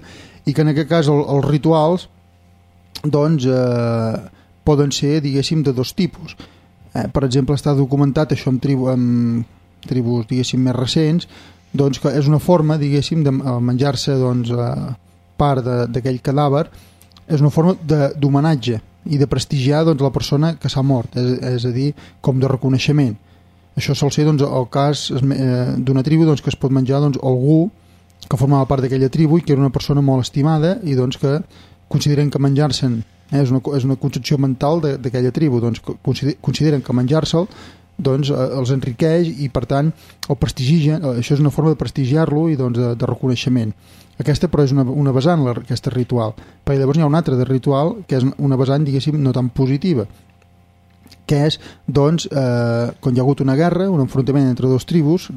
i que en aquest cas el, els rituals doncs eh, poden ser, diguéssim, de dos tipus. Eh, per exemple, està documentat això amb, tribu, amb tribus, diguéssim, més recents, doncs que és una forma, diguéssim, de menjar-se doncs, eh, part d'aquell cadàver, és una forma d'homenatge i de prestigiar doncs, la persona que s'ha mort, és, és a dir, com de reconeixement. Això sol ser doncs, el cas eh, d'una tribu doncs, que es pot menjar doncs, algú que formava part d'aquella tribu i que era una persona molt estimada i doncs, que consideren que menjar-se'n eh, és, una, és una concepció mental d'aquella tribu, doncs, consideren que menjar-se'l doncs, eh, els enriqueix i per tant el prestigien, això és una forma de prestigiar-lo i doncs, de, de reconeixement. Aquesta però és una, una vessant, aquesta ritual, perquè llavors n'hi ha una altra de ritual que és una vessant, diguéssim, no tan positiva, que és, doncs, eh, quan hi ha hagut una guerra, un enfrontament entre dos tribus,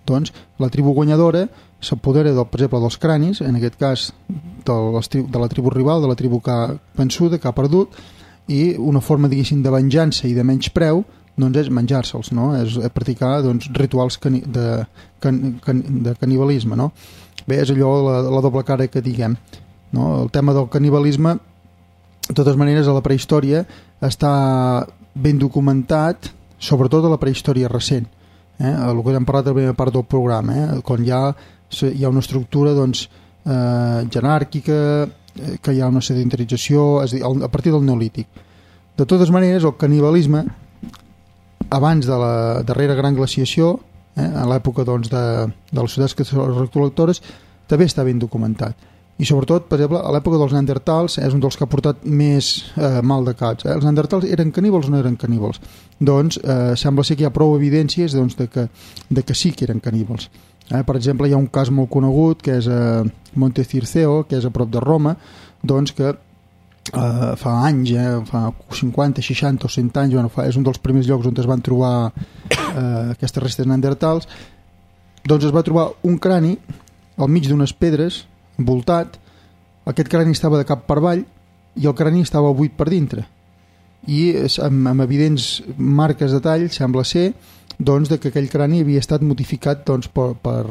doncs, la tribu guanyadora s'apodera, per exemple, dels cranis, en aquest cas de, les tri de la tribu rival, de la tribu que ha vençuda, que ha perdut, i una forma, diguéssim, de venjança i de menyspreu, doncs és menjar-se'ls, no? És practicar doncs, rituals cani de, can can de canibalisme, no? Bé, és allò, la, la doble cara que diguem, no? El tema del canibalisme, de totes maneres, a la prehistòria està ben documentat, sobretot a la prehistòria recent, eh? El que hem parlat a la primera part del programa, eh? Quan hi ha, hi ha una estructura doncs, eh, jeràrquica, eh, que hi ha una sedentarització, és a dir, a partir del neolític. De totes maneres, el canibalisme, abans de la darrera gran glaciació, eh, a l'època doncs, de, de les societats recol·lectores, també està ben documentat. I sobretot, per exemple, a l'època dels neandertals és un dels que ha portat més eh, mal de caps. Eh? Els neandertals eren caníbals o no eren caníbals? Doncs eh, sembla ser que hi ha prou evidències doncs, de, que, de que sí que eren caníbals. Eh? Per exemple, hi ha un cas molt conegut que és a Monte Circeo, que és a prop de Roma, doncs que eh, fa anys, eh, fa cinquanta, seixanta o cent anys, bueno, fa, és un dels primers llocs on es van trobar eh, aquestes restes neandertals, doncs es va trobar un crani al mig d'unes pedres envoltat, aquest crani estava de cap per avall i el crani estava buit per dintre i amb, amb evidents marques de tall sembla ser doncs, de que aquell crani havia estat modificat doncs, per, per,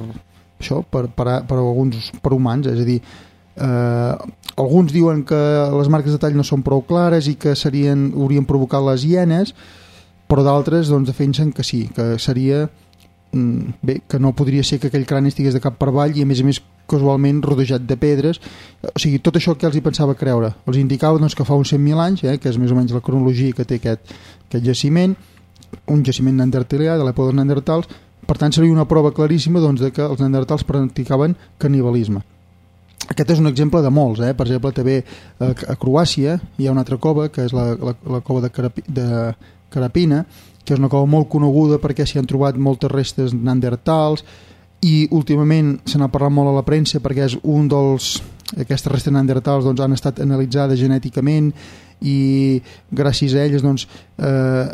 això, per, per, per alguns per humans, és a dir eh, alguns diuen que les marques de tall no són prou clares i que serien, haurien provocat les hienes, però d'altres doncs, defensen que sí, que seria bé, que no podria ser que aquell crani estigués de cap per avall i a més a més casualment rodejat de pedres, o sigui, tot això que els hi pensava creure, els indicava doncs, que fa uns cent mil anys, eh, que és més o menys la cronologia que té aquest, aquest jaciment, un jaciment neandertalià de l'època dels neandertals, per tant seria una prova claríssima doncs, de que els neandertals practicaven canibalisme. Aquest és un exemple de molts, eh? Per exemple també a, a Croàcia hi ha una altra cova que és la, la, la cova de, Carapi, de Carapina, que és una cova molt coneguda perquè s'hi han trobat moltes restes neandertals i últimament se n'ha parlat molt a la premsa perquè és un dels aquestes restes neandertals doncs, han estat analitzades genèticament i gràcies a elles doncs, eh,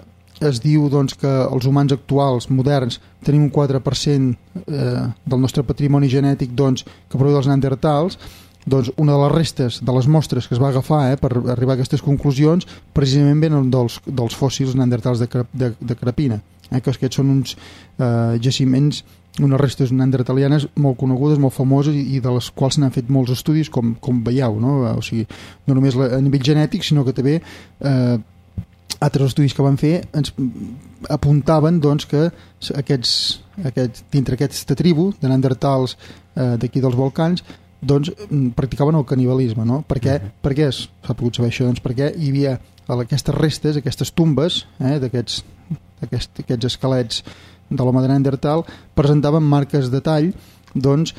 es diu doncs, que els humans actuals moderns tenim un quatre per cent eh, del nostre patrimoni genètic doncs, que prové dels neandertals. Doncs una de les restes de les mostres que es va agafar eh, per arribar a aquestes conclusions precisament venen dels, dels fòssils neandertals de, de, de Carapina, eh, que aquests són uns eh, jaciments, unes restes neandertalianes molt conegudes, molt famoses i de les quals s'han fet molts estudis com, com veieu, no? O sigui, no només a nivell genètic sinó que també eh, altres estudis que van fer ens apuntaven doncs, que aquests, aquests, dintre aquesta tribu de neandertals eh, d'aquí dels Balcans doncs, practicaven el canibalisme, no? Per què, uh-huh. per què s'ha pogut saber això? Doncs perquè hi havia aquestes restes, aquestes tumbes eh, d'aquests aquest, aquests esquelets de l'home de Neandertal presentaven marques de tall doncs,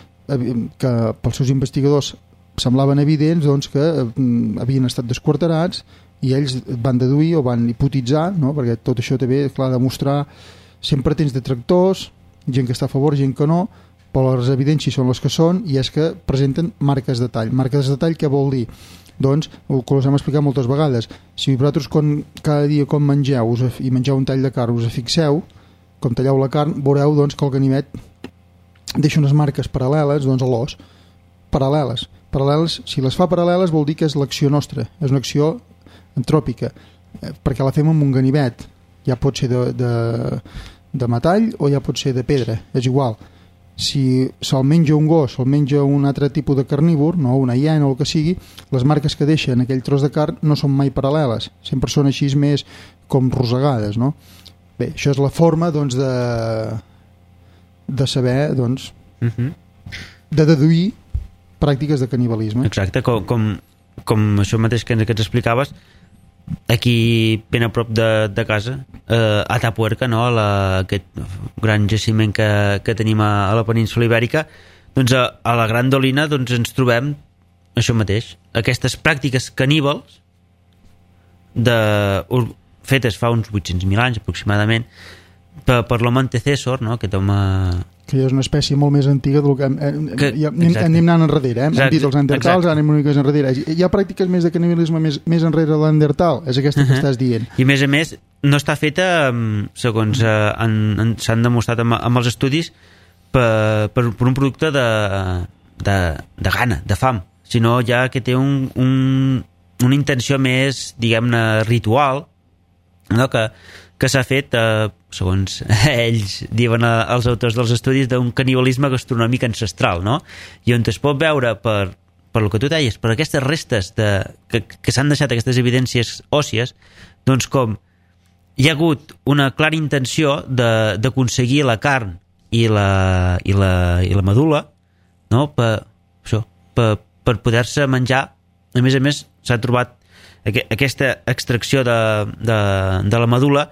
que pels seus investigadors semblaven evidents doncs, que havien estat desquarterats i ells van deduir o van hipotitzar, no? Perquè tot això també, clar, demostrar sempre tens detractors, gent que està a favor, gent que no, però les evidències són les que són i és que presenten marques de tall. Marques de tall què vol dir? Doncs, el que us hem explicat moltes vegades, si vosaltres quan, cada dia quan mengeu us, i mengeu un tall de carn us fixeu, com talleu la carn, veureu doncs, que el ganivet deixa unes marques paral·leles doncs, a l'os, paral·leles. paral·leles. Si les fa paral·leles vol dir que és l'acció nostra, és una acció antròpica, eh, perquè la fem amb un ganivet, ja pot ser de, de, de metall o ja pot ser de pedra, és igual. Si se'l menja un gos o el menja un altre tipus de carnívor, no, una hiena o el que sigui, les marques que deixa en aquell tros de carn no són mai paral·leles, sempre són així més com rosegades, no? Bé, això és la forma, doncs, de de saber, doncs, uh-huh. de deduir pràctiques de canibalisme. Exacte, com, com, com això mateix que ens, que ens explicaves, aquí ben a prop de, de casa, eh, a Atapuerca, no? La, aquest gran jaciment que, que tenim a, a la península Ibèrica, doncs a, a la Gran Dolina doncs ens trobem això mateix, aquestes pràctiques caníbals de, fetes fa uns vuit-cents mil anys aproximadament per, per l'home antecessor, no? Aquest home... que és una espècie molt més antiga del que, eh, que ja, anem, anem anant enrere, eh? Exacte, hem dit els neandertals, anem una mica enrere. Hi ha pràctiques més de canibalisme més, més enrere de l'Neandertal, és aquesta uh-huh. que estàs dient. I a més a més no està feta, segons eh, han, han, s'han demostrat amb, amb els estudis, per, per, per un producte de, de, de gana, de fam, sinó ja que té un, un, una intenció més, diguem-ne, ritual, no? que que s'ha fet, eh, segons ells diuen eh, els autors dels estudis, d'un canibalisme gastronòmic ancestral, no? I on es pot veure per, per el que tu deies, per aquestes restes de, que, que s'han deixat, aquestes evidències òssies, doncs com hi ha hagut una clara intenció de, d'aconseguir la carn i la, i la, i la medul·la, no? per, això, per, per poder-se menjar. A més a més s'ha trobat aquesta extracció de, de, de la medul·la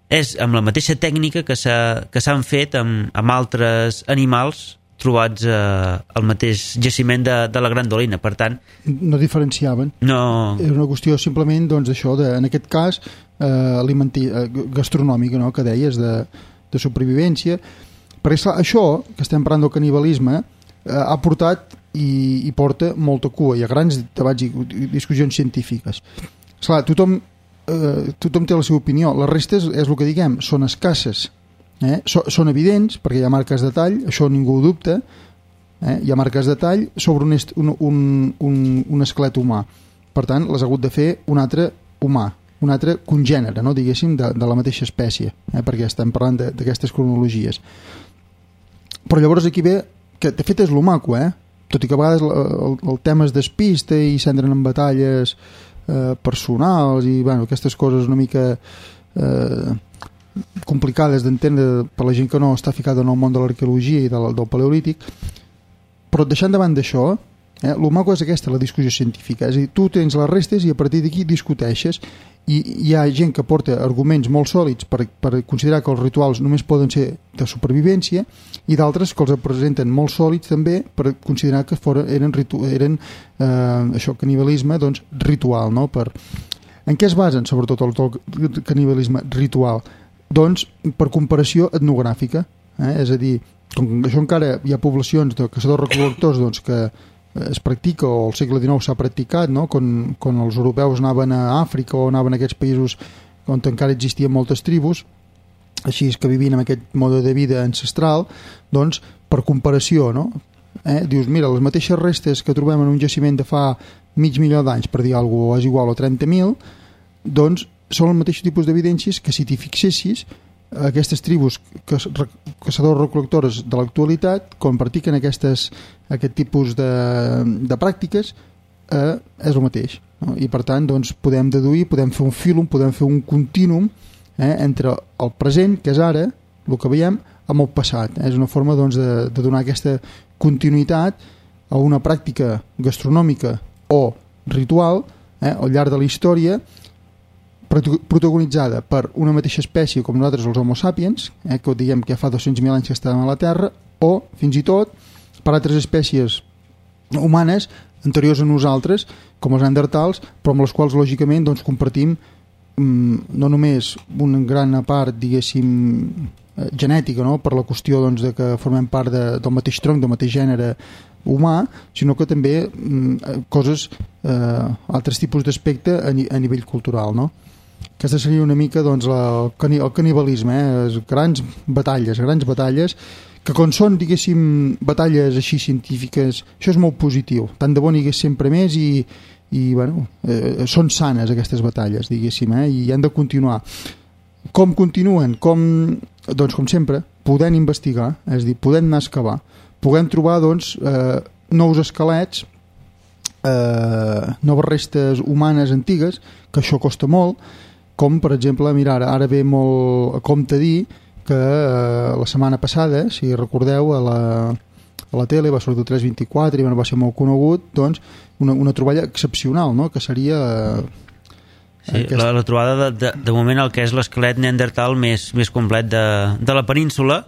és amb la mateixa tècnica que, s'ha, que s'han fet amb, amb altres animals trobats eh, al mateix jaciment de, de la Gran Dolina. Per tant, no diferenciaven. No. És una qüestió simplement, doncs, això, de, en aquest cas, eh, alimenti, eh, gastronòmica, no?, que deies, de, de supervivència. Perquè, esclar, això, que estem parlant del canibalisme, eh, ha portat i, i porta molta cua. Hi ha grans debats i discussions científiques. Esclar, tothom Eh, tothom té la seva opinió. Les restes, és el que diguem, són escasses, eh? so, són evidents perquè hi ha marques de tall, això ningú ho dubta, eh? Hi ha marques de tall sobre un, est, un, un, un, un esquelet humà, per tant les ha hagut de fer un altre humà, un altre congènere, no? Diguéssim, de, de la mateixa espècie, eh? Perquè estem parlant d'aquestes cronologies. Però llavors aquí ve que de fet és lo maco, eh? Tot i que a vegades el, el, el tema es despista i s'entren en batalles Eh, personals i bueno, aquestes coses una mica eh, complicades d'entendre per la gent que no està ficada en el món de l'arqueologia i del, del paleolític, però deixant davant d'això, eh, el maco és aquesta, la discussió científica, és a dir, tu tens les restes i a partir d'aquí discuteixes, i hi ha gent que porta arguments molt sòlids per, per considerar que els rituals només poden ser de supervivència i d'altres que els presenten molt sòlids també per considerar que foren, eren, ritu, eren eh, això, canibalisme, doncs, ritual, no? Per... En què es basen sobretot el, el canibalisme ritual? Doncs per comparació etnogràfica, eh? És a dir, com això encara hi ha poblacions de caçadors-recol·lectors doncs, que es practica, o al segle dinou s'ha practicat, no? quan, quan els europeus anaven a Àfrica o anaven a aquests països on encara existien moltes tribus, així que vivien amb aquest mode de vida ancestral, doncs per comparació, no? Eh? Dius, mira, les mateixes restes que trobem en un jaciment de fa mig milió d'anys, per dir alguna cosa, és igual, o trenta mil, doncs són el mateix tipus d'evidències que si t'hi fixessis aquestes tribus caçadors-recol·lectores de l'actualitat, quan practiquen aquestes, aquest tipus de, de pràctiques, eh, és el mateix, no? I per tant doncs, podem deduir, podem fer un fílum, podem fer un contínuum eh, entre el present, que és ara, el que veiem, amb el passat. És una forma doncs, de, de donar aquesta continuïtat a una pràctica gastronòmica o ritual eh, al llarg de la història, protagonitzada per una mateixa espècie com nosaltres els Homo sapiens, eh, que diguem que ja fa dos-cents mil anys que estàvem a la Terra, o fins i tot per altres espècies humanes anteriors a nosaltres, com els neandertals, però amb les quals lògicament doncs, compartim mm, no només una gran part, diguéssim, eh, genètica, no? Per la qüestió doncs, de que formem part de, del mateix tronc, del mateix gènere humà, sinó que també mm, coses, eh, altres tipus d'aspecte a, ni, a nivell cultural, no? Aquesta seria una mica doncs, la, el canibalisme, eh? Grans batalles, grans batalles, que quan són, diguéssim, batalles així científiques, això és molt positiu. Tant de bo n'hi hagués sempre més i, i bueno, eh, són sanes aquestes batalles, diguéssim, eh? I han de continuar. Com continuen? Com doncs, com sempre, podent investigar, és a dir, podent anar a excavar, podent trobar, doncs, eh, nous esquelets, eh, noves restes humanes antigues, que això costa molt, com, per exemple, mira, ara, ara ve molt a compte dir que eh, la setmana passada, si recordeu, a la, a la tele va sortir el tres vint-i-quatre i bueno, va ser molt conegut, doncs, una, una troballa excepcional, no?, que seria... Eh, Sí, aquesta... la, la trobada de, de, de moment el que és l'esquelet neandertal més, més complet de, de la península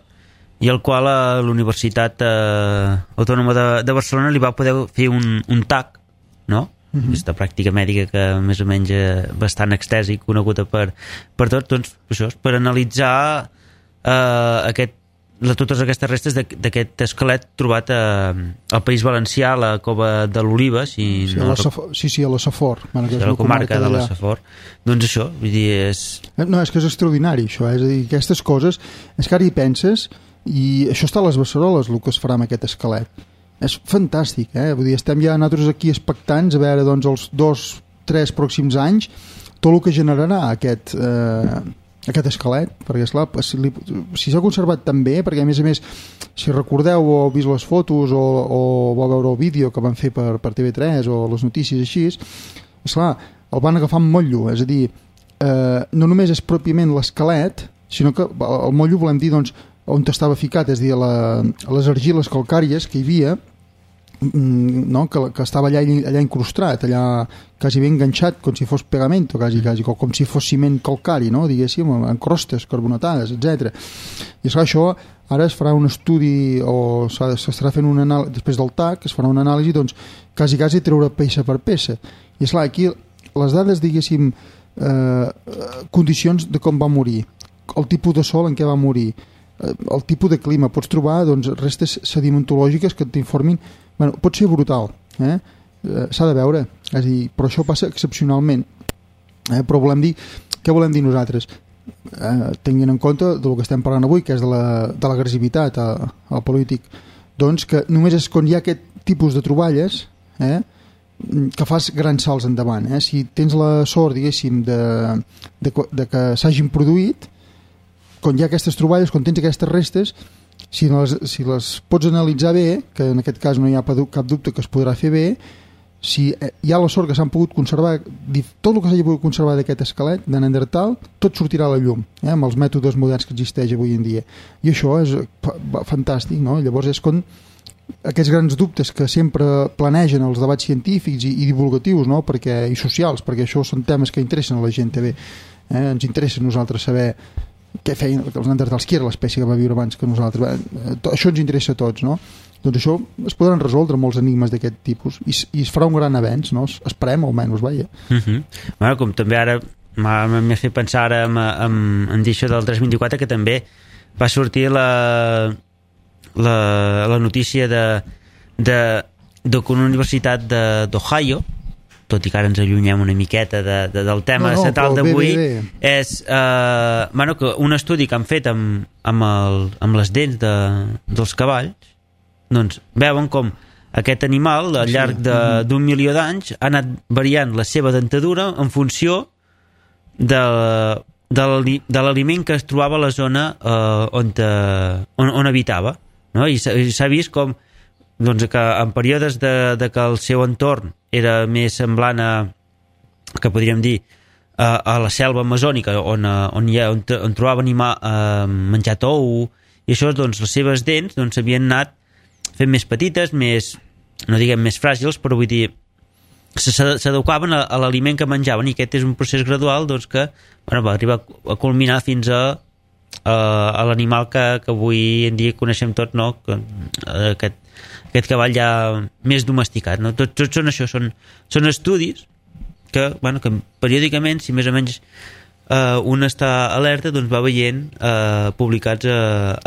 i el qual a la Universitat eh, Autònoma de, de Barcelona li va poder fer un, un T A C, no? Uh-huh. Aquesta pràctica mèdica que més o menys eh, bastant extesa i coneguda per, per tots, doncs això, per analitzar eh, aquest, la, totes aquestes restes d'aquest esquelet trobat a, al País Valencià, a la Cova de l'Oliva, si sí, no, a la Safor, sí, sí, a la Safor, bueno, sí, a la comarca de la Safor. Doncs això, vull dir, és... No, és que és extraordinari, això, eh? És a dir, aquestes coses, és que ara hi penses, i això està a les Beceroles, el que es farà amb aquest esquelet. És fantàstic, eh? Vull dir, estem ja nosaltres aquí expectants a veure, doncs, els dos, tres pròxims anys, tot el que generarà aquest... Eh, aquest esquelet, perquè esclar, si, li, si s'ha conservat tan bé, perquè a més a més si recordeu o heu vist les fotos o, o vau veure el vídeo que van fer per, per T V tres o les notícies així, esclar, el van agafar amb motllo, és a dir, eh, no només és pròpiament l'esquelet, sinó que el motllo volem dir doncs, on estava ficat, és a dir, a, la, a les argiles calcàries que hi havia, no? que, que estava allà, allà incrustat, allà quasi ben enganxat, com si fos pegamento, quasi, quasi, com si fos ciment calcari, no? Diguéssim, en crostes carbonatades, etcètera. I esclar, això ara es farà un estudi o s'estarà fent un anàlisi, després del T A C, es farà una anàlisi, doncs, quasi, quasi treure peça per peça. I esclar, aquí les dades, diguéssim, eh, condicions de com va morir, el tipus de sol en què va morir, eh, el tipus de clima, pots trobar doncs, restes sedimentològiques que t'informin. Bueno, pot ser brutal, eh? Eh, s'ha de veure, és a dir, però això passa excepcionalment, eh? Però volem dir, què volem dir nosaltres? Eh, tenint en compte del que estem parlant avui, que és de l'agressivitat la, al polític, doncs que només és quan hi ha aquest tipus de troballes, eh? que fas grans salts endavant, eh? Si tens la sort, diguéssim, de, de, de que s'hagin produït, quan hi ha aquestes troballes, quan tens aquestes restes, si les, si les pots analitzar bé, que en aquest cas no hi ha cap dubte que es podrà fer bé, si hi ha la sort que s'han pogut conservar, tot el que s'hagi pogut conservar d'aquest esquelet de Neandertal, tot sortirà a la llum, eh, amb els mètodes moderns que existeix avui en dia. I això és fantàstic, no? Llavors és quan aquests grans dubtes que sempre planegen els debats científics i, i divulgatius, no? Perquè, i socials, perquè això són temes que interessen a la gent també. Eh? Ens interessa a nosaltres saber què feien els neandertals, qui era l'espècie que va viure abans que nosaltres. Bé, això ens interessa a tots, no? Doncs això es podran resoldre molts enigmes d'aquest tipus i, i es farà un gran avenç, no? Esperem almenys, vaja. Uh-huh. Bueno, com també ara m'ha fet pensar ara en, en, en dir això del tres vint-i-quatre, que també va sortir la la, la notícia de, de, de que una universitat d'Ohio, tot i que ara ens allunyem una miqueta de, de, del tema no, no, central d'avui, és eh, bueno, que un estudi que han fet amb, amb, el, amb les dents de, dels cavalls, doncs veuen com aquest animal al llarg d'un milió d'anys ha anat variant la seva dentadura en funció de, de l'aliment que es trobava a la zona eh, on, te, on, on habitava, no? I s'ha vist com doncs, que en períodes de, de que el seu entorn era més semblant a, que podríem dir, a, a la selva amazònica, on, on, hi ha, on, on trobava animar, eh, menjar tou, i això, doncs, les seves dents doncs, havien anat fent més petites, més, no diguem més fràgils, però vull dir, s'adequaven a, a l'aliment que menjaven, i aquest és un procés gradual doncs, que bueno, va arribar a culminar fins a, a, a l'animal que, que avui en dia coneixem tots, no? Que, aquest aquest cavall ja més domesticat, no? Tots, tots són això, són, són estudis que, bueno, que periòdicament, si més o menys eh, un està alerta, doncs va veient eh, publicats a,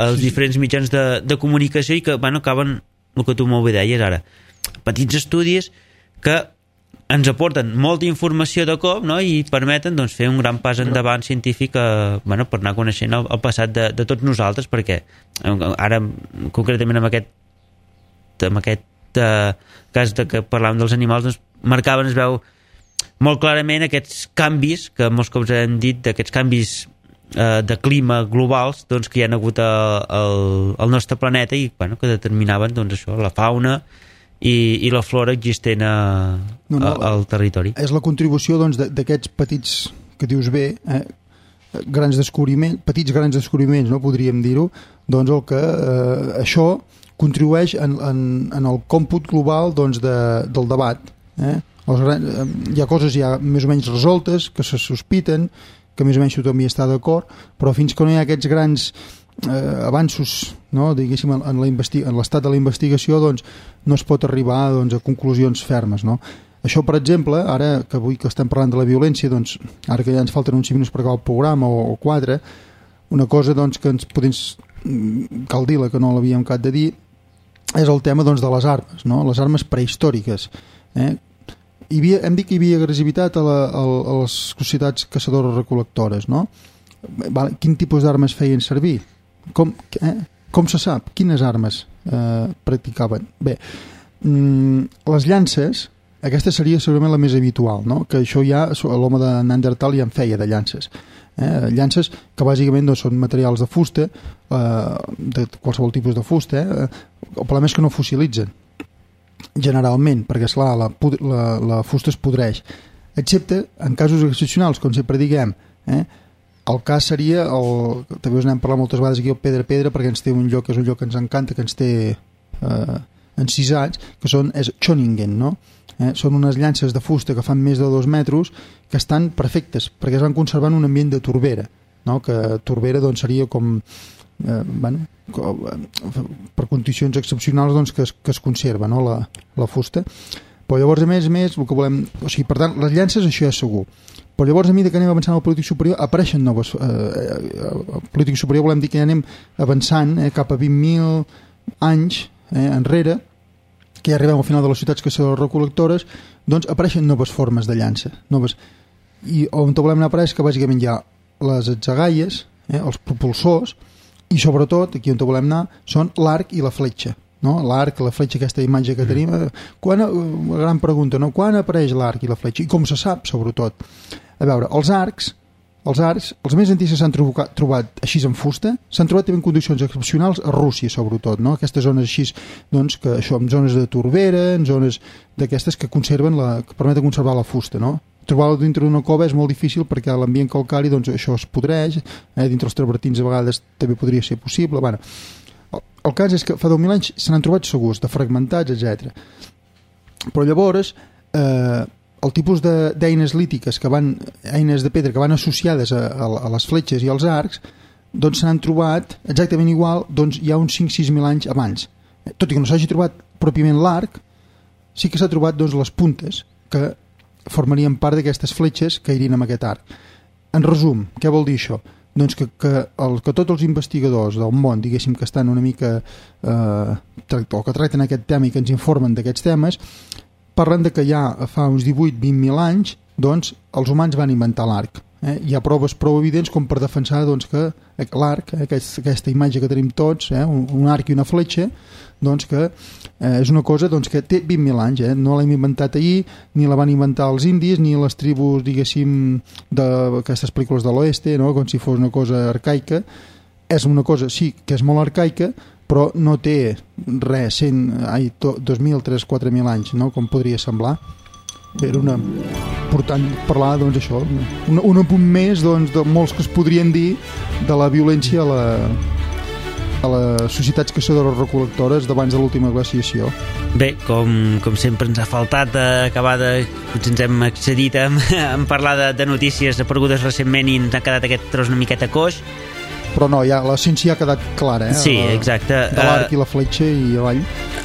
als diferents mitjans de, de comunicació i que, bueno, acaben el que tu molt bé deies ara, petits estudis que ens aporten molta informació de cop, no? I permeten doncs, fer un gran pas endavant científic eh, bueno, per anar coneixent el, el passat de, de tots nosaltres, perquè ara concretament amb aquest amb aquest eh, cas de que parlàvem dels animals, doncs marcaven, es veu molt clarament aquests canvis que molts cops hem dit, d'aquests canvis eh, de clima globals doncs, que hi ha hagut al, al nostre planeta i bueno, que determinaven doncs, això, la fauna i, i la flora existent a, no, no, a, al territori. És la contribució doncs, d'aquests petits, que dius bé, eh, grans descobriments, petits grans descobriments, no podríem dir-ho, doncs el que eh, això contribueix en, en, en el còmput global doncs, de, del debat. Eh? Els grans, eh, hi ha coses ja més o menys resoltes, que se sospiten, que més o menys tothom hi està d'acord, però fins que no hi ha aquests grans eh, avanços, no? Diguéssim, en, en l'estat de la investigació, doncs, no es pot arribar doncs, a conclusions fermes, no? Això, per exemple, ara que avui que estem parlant de la violència, doncs, ara que ja ens falten uns cinc minuts per acabar el programa, o, o quatre, una cosa doncs, que ens podem, cal dir-la, que no l'havíem acabat de dir, és el tema doncs, de les armes, no? Les armes prehistòriques. Eh? Hi havia, hem dit que hi havia agressivitat a, la, a, a les societats caçadores-recol·lectores, no? Quin tipus d'armes feien servir? Com, eh? Com se sap? Quines armes eh, practicaven? Bé, mm, les llances, aquesta seria segurament la més habitual, no? Que això ja l'home de Neandertal ja en feia de llances. Eh? Llances que bàsicament doncs, són materials de fusta, eh, de qualsevol tipus de fusta. Eh? El problema és que no fossilitzen, generalment, perquè esclar, la, la, la fusta es podreix, excepte en casos excepcionals, com sempre diguem. Eh? El cas seria, el, també us n'hem parlat moltes vegades aquí, el pedra-pedra, perquè ens té un lloc, que és un lloc que ens encanta, que ens té eh, encisats, que són, és Schöningen, no? Eh, són unes llances de fusta que fan més de dos metres que estan perfectes perquè es van conservar en un ambient de torbera, no? Que torbera doncs, seria com, eh, bueno, com eh, per condicions excepcionals doncs, que, es, que es conserva, no? la, la fusta. Però llavors a més a més el que volem, o sigui, per tant les llances això ja és segur, però llavors a mesura que anem avançant al polític superior apareixen noves eh, eh, al polític superior volem dir que ja anem avançant eh, cap a vint mil anys eh, enrere, que ja arribem al final de les ciutats caçadores-recol·lectores, doncs apareixen noves formes de llança. Noves. I on volem anar a parar és que bàsicament hi ha les atzagaies, eh, els propulsors, i sobretot, aquí on volem anar, són l'arc i la fletxa. No? L'arc, la fletxa, aquesta imatge que tenim. Quan, una gran pregunta, no? Quan apareix l'arc i la fletxa? I com se sap, sobretot? A veure, els arcs, els arcs, els més antics que s'han trobat, trobat així en fusta, s'han trobat també en condicions excepcionals a Rússia, sobretot, no? Aquestes zones així, doncs, que això, en zones de torbera, en zones d'aquestes que conserven la, que permeten conservar la fusta, no? Trobar-la dintre d'una cova és molt difícil perquè a l'ambient calcari, doncs, això es podreix, eh? Dintre els travertins a vegades també podria ser possible, bueno. El, el cas és que fa deu mil anys se n'han trobat segurs, de fragmentats, etcètera. Però llavors, eh, el tipus d'eines lítiques, que van, eines de pedra que van associades a, a, a les fletxes i als arcs, doncs s'han trobat exactament igual doncs, ja uns cinc sis mil anys abans. Tot i que no s'hagi trobat pròpiament l'arc, sí que s'ha trobat doncs, les puntes que formarien part d'aquestes fletxes que irien amb aquest arc. En resum, què vol dir això? Doncs que, que, el, que tots els investigadors del món, diguéssim, que estan una mica eh, o que tracten aquest tema i que ens informen d'aquests temes, parlen de que ja fa uns divuit a vint mil anys doncs, els humans van inventar l'arc. Eh? Hi ha proves prou evidents com per defensar doncs, que l'arc, eh, aquest, aquesta imatge que tenim tots, eh, un, un arc i una fletxa, doncs, que eh, és una cosa doncs, que té vint mil anys. Eh? No l'hem inventat ahir, ni la van inventar els indis, ni les tribus, diguéssim, d'aquestes pel·lícules de l'oeste, no? Com si fos una cosa arcaica. És una cosa, sí, que és molt arcaica, però no té res, cent, ai, dos mil, tres, quatre mil anys, no? Com podria semblar. Era una important parlar, doncs, això, un, un apunt més doncs, de molts que es podrien dir de la violència a, la, a les societats caçadores-recol·lectores d'abans de l'última glaciació. Bé, com, com sempre ens ha faltat acabar de... Potser ens hem excedit en, en parlar de, de notícies aparegudes recentment i ens ha quedat aquest tros una miqueta coix. Però no, ja, l'essència ha quedat clara, eh? Sí, exacte. De l'arc uh, i la fletxa i avall.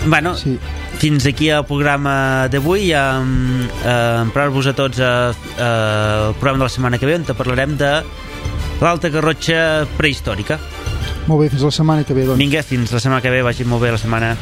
Bueno, sí. Fins aquí el programa d'avui. Um, uh, Emprar-vos a tots uh, uh, el programa de la setmana que ve, on parlarem de l'Alta Garrotxa prehistòrica. Molt bé, fins la setmana que ve, doncs. Vinga, fins la setmana que ve, vagi molt bé la setmana.